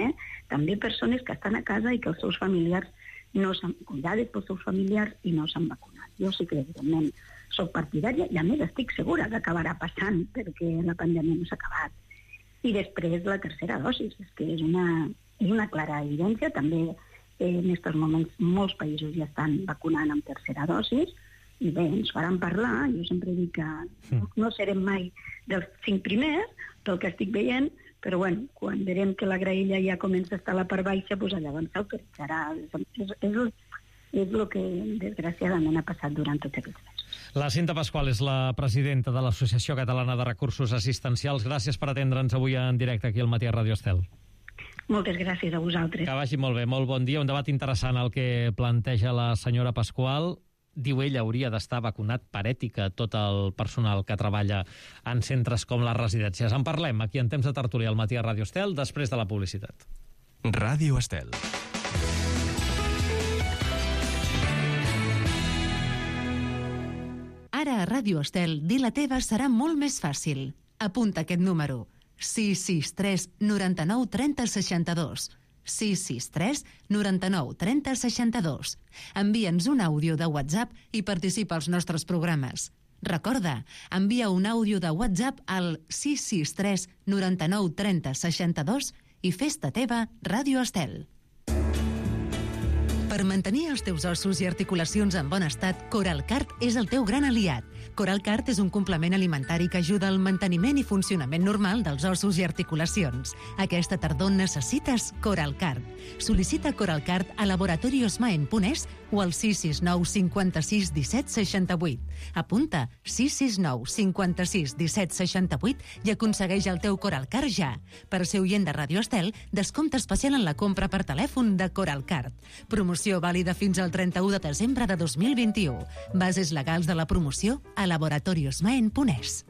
també persones que estan a casa i que els seus familiars no s'han cuidades pels seus familiars i no s'han vacunat. Jo sí que, evidentment, soc partidària i, a més, estic segura que acabarà passant perquè la pandèmia no s'ha acabat. I després la tercera dosi, és que és una clara evidència. També en aquests moments molts països ja estan vacunant amb tercera dosi i bé, ens faran parlar. Jo sempre dic que no serem mai dels 5 primers pel que estic veient, però bueno, quan veurem que la graella ja comença a estar a la part baixa, doncs llavors s'autoritzarà. És el que desgraciadament ha passat durant tots aquests mesos. La Cinta Pasqual és la presidenta de l'Associació Catalana de Recursos Assistencials. Gràcies per atendre'ns avui en directe aquí al Matí a Ràdio Estel. Moltes gràcies a vosaltres. Que vagi molt bé, molt bon dia. Un debat interessant el que planteja la senyora Pasqual. Diu ella, hauria d'estar vacunat per ètica tot el personal que treballa en centres com les residències. En parlem aquí en Temps de Tertúlia al Matí a Ràdio Estel, després de la publicitat. Ràdio Estel. Ara a Ràdio Estel, dir la teva serà molt més fàcil. Apunta aquest número. 663 99 30 62. 663 99 30 62. Envia'ns un àudio de WhatsApp i participa als nostres programes. Recorda, envia un àudio de WhatsApp al 663 99 30 62 i fes-te teva Ràdio Estel. Per mantenir els teus ossos i articulacions en bon estat, Coralcart és el teu gran aliat. Coralcart és un complement alimentari que ajuda al manteniment i funcionament normal dels ossos i articulacions. Aquesta tardor necessites Coralcart. Sol·licita Coralcart a laboratoriosmaen.es o al 669 56 17 68. Apunta 669 56 17 68 i aconsegueix el teu Coralcart ja. Per ser oient de Ràdio Estel, descompte especial en la compra per telèfon de Coralcart. Promoció vàlida fins al 31 de desembre de 2021. Bases legals de la promoció a laboratoriosmaen.es.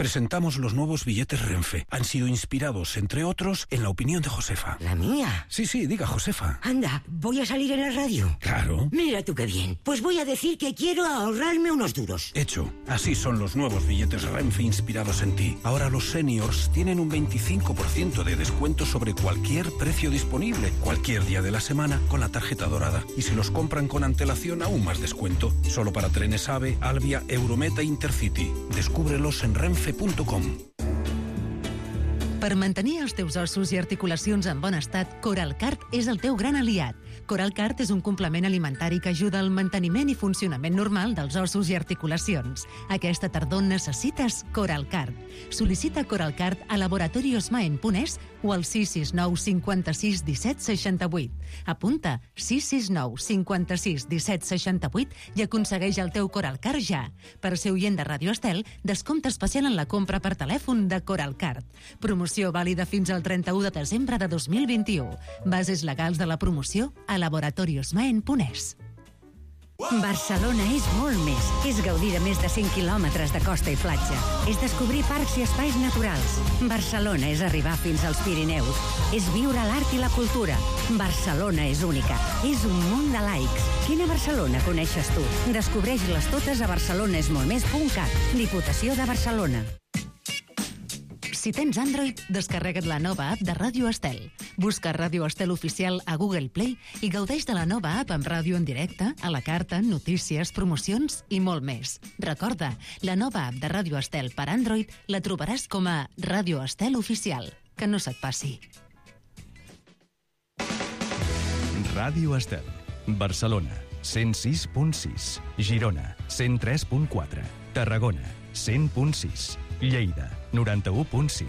Presentamos los nuevos billetes Renfe. Han sido inspirados, entre otros, en la opinión de Josefa. ¿La mía? Sí, diga, Josefa. Anda, ¿voy a salir en la radio? Claro. Mira tú qué bien. Pues voy a decir que quiero ahorrarme unos duros. Hecho. Así son los nuevos billetes Renfe inspirados en ti. Ahora los seniors tienen un 25% de descuento sobre cualquier precio disponible, cualquier día de la semana, con la tarjeta dorada. Y si los compran con antelación, aún más descuento. Solo para trenes AVE, Alvia, Eurometa e Intercity. Descúbrelos en renfe.com. Per mantenir els teus ossos i articulacions en bon estat, Coralcart és el teu gran aliat. Coralcart és un complement alimentari que ajuda al manteniment i funcionament normal dels ossos i articulacions. Aquesta tardor necessites Coralcart. Sol·licita Coralcart a laboratoriosmaen.es o al 669 56 17 68. Apunta 669 56 17 68 i aconsegueix el teu Coralcart ja. Per ser oient de Ràdio Estel, descompte especial en la compra per telèfon de Coralcart. Promoció vàlida fins al 31 de desembre de 2021. Bases legals de la promoció a laboratoriosmaen.es. Barcelona és molt més. És gaudir de més de 100 quilòmetres de costa i platja. És descobrir parcs i espais naturals. Barcelona és arribar fins als Pirineus. És viure l'art i la cultura. Barcelona és única. És un munt de laics. Quina Barcelona coneixes tu? Descobreix-les totes a barcelonesmoltmés.cat. Diputació de Barcelona. Si tens Android, descarrega't la nova app de Ràdio Estel. Busca Ràdio Estel Oficial a Google Play i gaudeix de la nova app amb ràdio en directe, a la carta, notícies, promocions i molt més. Recorda, la nova app de Ràdio Estel per Android la trobaràs com a Ràdio Estel Oficial. Que no se't passi. Ràdio Estel. Barcelona, 106.6. Girona, 103.4. Tarragona, 100.6. Lleida, 91.5.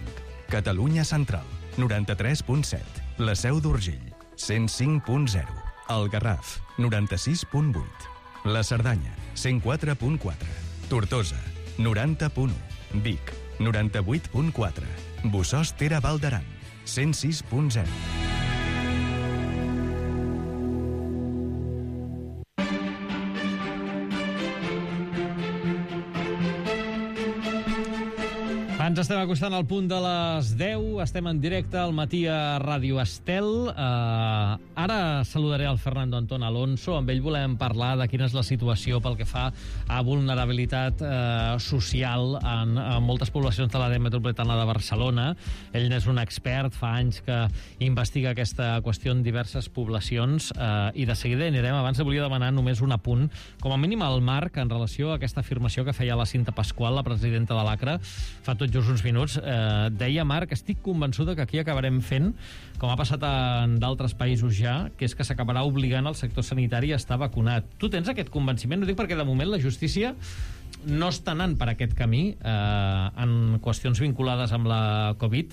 Catalunya Central, 93.7. La Seu d'Urgell, 105.0. El Garraf, 96.8. La Cerdanya, 104.4. Tortosa, 90.1. Vic, 98.4. Bossòst Tere Val d'Aran, 106.0. Ens estem acostant al punt de les 10, estem en directe al matí a Ràdio Estel. Ara saludaré el Fernando Antón Alonso, amb ell volem parlar de quina és la situació pel que fa a vulnerabilitat social en moltes poblacions de l'àrea metropolitana de Barcelona. Ell n'és un expert, fa anys que investiga aquesta qüestió en diverses poblacions i de seguida anirem. Abans volia demanar només un apunt, com a mínim al Marc, en relació a aquesta afirmació que feia la Cinta Pasqual, la presidenta de l'ACRA, fa tot just uns minuts. Deia, Marc, estic convençuda que aquí acabarem fent, com ha passat en d'altres països ja, que és que s'acabarà obligant el sector sanitari a estar vacunat. Tu tens aquest convenciment? Ho dic perquè de moment la justícia no està anant per aquest camí en qüestions vinculades amb la Covid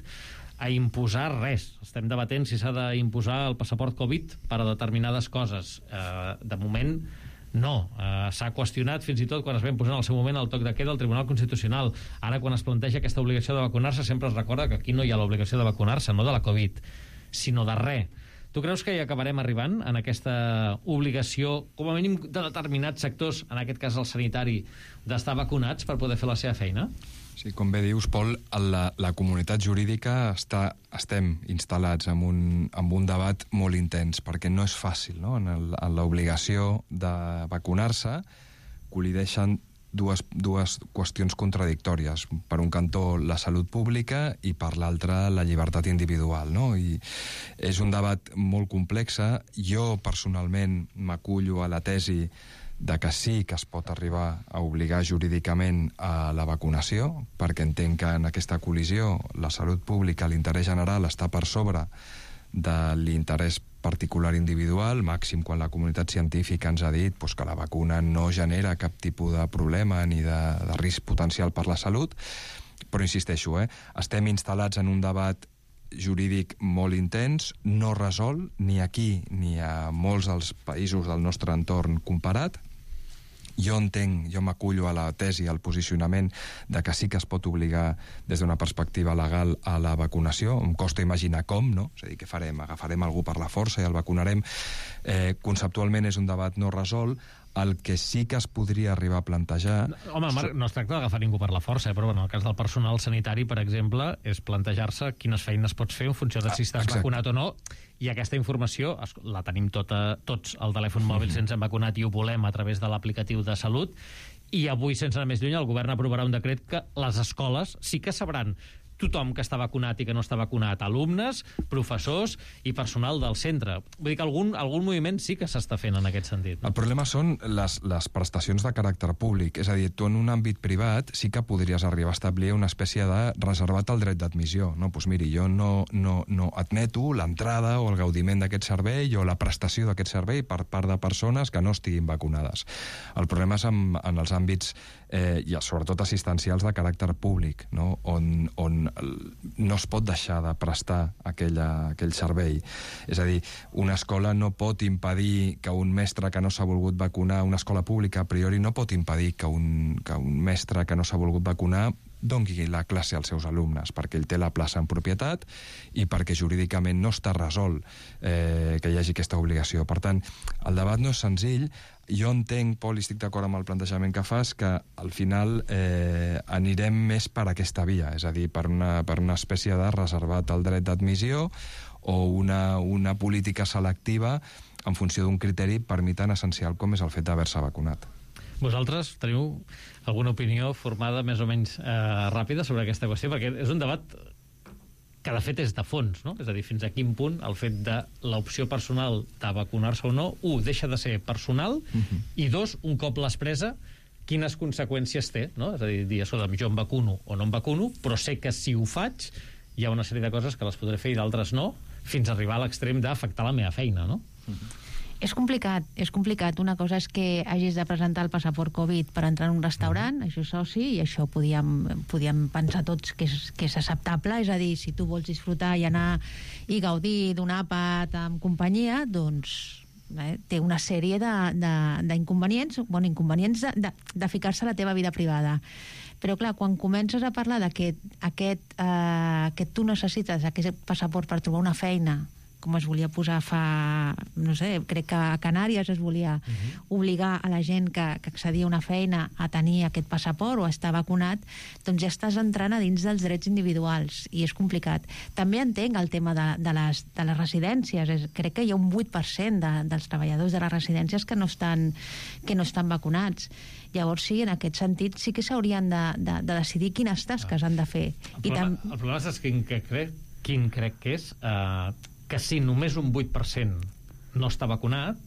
a imposar res. Estem debatent si s'ha d'imposar el passaport Covid per a determinades coses. De moment no, s'ha qüestionat fins i tot quan es va imposar en el seu moment el toc de queda al Tribunal Constitucional. Ara, quan es planteja aquesta obligació de vacunar-se, sempre es recorda que aquí no hi ha l'obligació de vacunar-se, no de la Covid, sinó de res. Tu creus que hi acabarem arribant en aquesta obligació, com a mínim de determinats sectors, en aquest cas el sanitari, d'estar vacunats per poder fer la seva feina? Sí, com bé dius, Pol, la comunitat jurídica estem instal·lats en un debat molt intens, perquè no és fàcil, no? En l'obligació de vacunar-se col·lideixen dues qüestions contradictòries. Per un cantó, la salut pública, i per l'altre, la llibertat individual, no? I és un debat molt complex. Jo, personalment, m'acullo a la tesi de que sí que es pot arribar a obligar jurídicament a la vacunació, perquè entenc que en aquesta col·lisió la salut pública, l'interès general, està per sobre de l'interès particular individual, màxim quan la comunitat científica ens ha dit que la vacuna no genera cap tipus de problema ni de risc potencial per la salut. Però insisteixo, estem instal·lats en un debat jurídic molt intens, no resol ni aquí ni a molts dels països del nostre entorn comparat. Jo m'acullo a la tesi, al posicionament de que sí que es pot obligar des d'una perspectiva legal a la vacunació. Em costa imaginar com, no? És a dir, què farem? Agafarem algú per la força i el vacunarem? Conceptualment és un debat no resolt. El que sí que es podria arribar a plantejar... Home, Marc, no es tracta d'agafar ningú per la força, però en el cas del personal sanitari, per exemple, és plantejar-se quines feines pots fer en funció de si estàs vacunat o no, i aquesta informació la tenim tots al telèfon mòbil sense hem vacunat i ho volem a través de l'aplicatiu de Salut, i avui, sense anar més lluny, el govern aprovarà un decret que les escoles sí que sabran tothom que està vacunat i que no està vacunat, alumnes, professors i personal del centre. Vull dir que algun moviment sí que s'està fent en aquest sentit. El problema són les prestacions de caràcter públic. És a dir, tu en un àmbit privat sí que podries arribar a establir una espècie de reservat al dret d'admissió. No, doncs miri, jo no admeto l'entrada o el gaudiment d'aquest servei o la prestació d'aquest servei per part de persones que no estiguin vacunades. El problema és en els àmbits i sobretot assistencials de caràcter públic, no? On no es pot deixar de prestar aquell servei. És a dir, una escola no pot impedir que un mestre que no s'ha volgut vacunar, una escola pública a priori no pot impedir que un mestre que no s'ha volgut vacunar doni la classe als seus alumnes, perquè ell té la plaça en propietat i perquè jurídicament no està resolt que hi hagi aquesta obligació. Per tant, el debat no és senzill. Jo entenc, Pol, i estic d'acord amb el plantejament que fas, que al final anirem més per aquesta via, és a dir, per una espècie de reservat al dret d'admissió o una política selectiva en funció d'un criteri per mi tan essencial com és el fet d'haver-se vacunat. Vosaltres teniu alguna opinió formada més o menys ràpida sobre aquesta qüestió? Perquè és un debat que de fet és de fons, no? És a dir, fins a quin punt el fet de l'opció personal de vacunar-se o no, deixa de ser personal, i dos, un cop l'has presa, quines conseqüències té, no? És a dir, jo em vacuno o no em vacuno, però sé que si ho faig hi ha una sèrie de coses que les podré fer i d'altres no, fins a arribar a l'extrem d'afectar la meva feina, no? És complicat. Una cosa és que hagis de presentar el passaport Covid per entrar en un restaurant, això és soci, i això podíem pensar tots que és acceptable, és a dir, si tu vols disfrutar i anar i gaudir d'un àpat amb companyia, doncs té una sèrie d'inconvenients, inconvenients de ficar-se a la teva vida privada. Però clar, quan comences a parlar que tu necessites aquest passaport per trobar una feina com es volia posar fa, no sé, crec que a Canàries es volia obligar a la gent que accedia a una feina a tenir aquest passaport o a estar vacunat, doncs ja estàs entrant a dins dels drets individuals i és complicat. També entenc el tema de les residències. Crec que hi ha un 8% dels treballadors de les residències que no estan vacunats. Llavors, sí, en aquest sentit, sí que s'haurien de decidir quines tasques han de fer. El problema és quin crec que és que si només un 8% no està vacunat,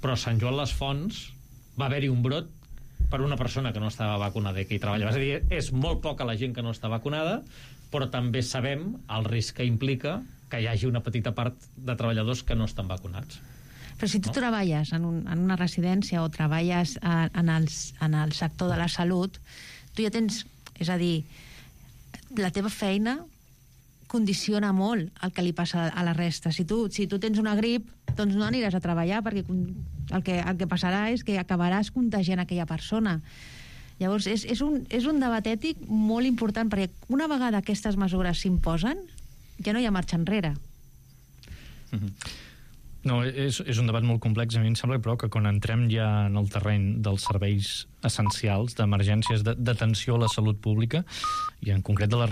però a Sant Joan les Fonts va haver-hi un brot per una persona que no estava vacunada i que hi treballava. És a dir, és molt poca la gent que no està vacunada, però també sabem el risc que implica que hi hagi una petita part de treballadors que no estan vacunats. Però si tu treballes en una residència o treballes en el sector de la salut, tu ja tens... És a dir, la teva feina condiciona molt el que li passa a la resta. Si tu tens una grip, doncs no aniràs a treballar, perquè el que passarà és que acabaràs contagiant aquella persona. Llavors, és un debat ètic molt important, perquè una vegada aquestes mesures s'imposen, ja no hi ha marxa enrere. No, és un debat molt complex. A mi em sembla, però, que quan entrem ja en el terreny dels serveis essencials, d'emergències, d'atenció a la salut pública, i en concret de les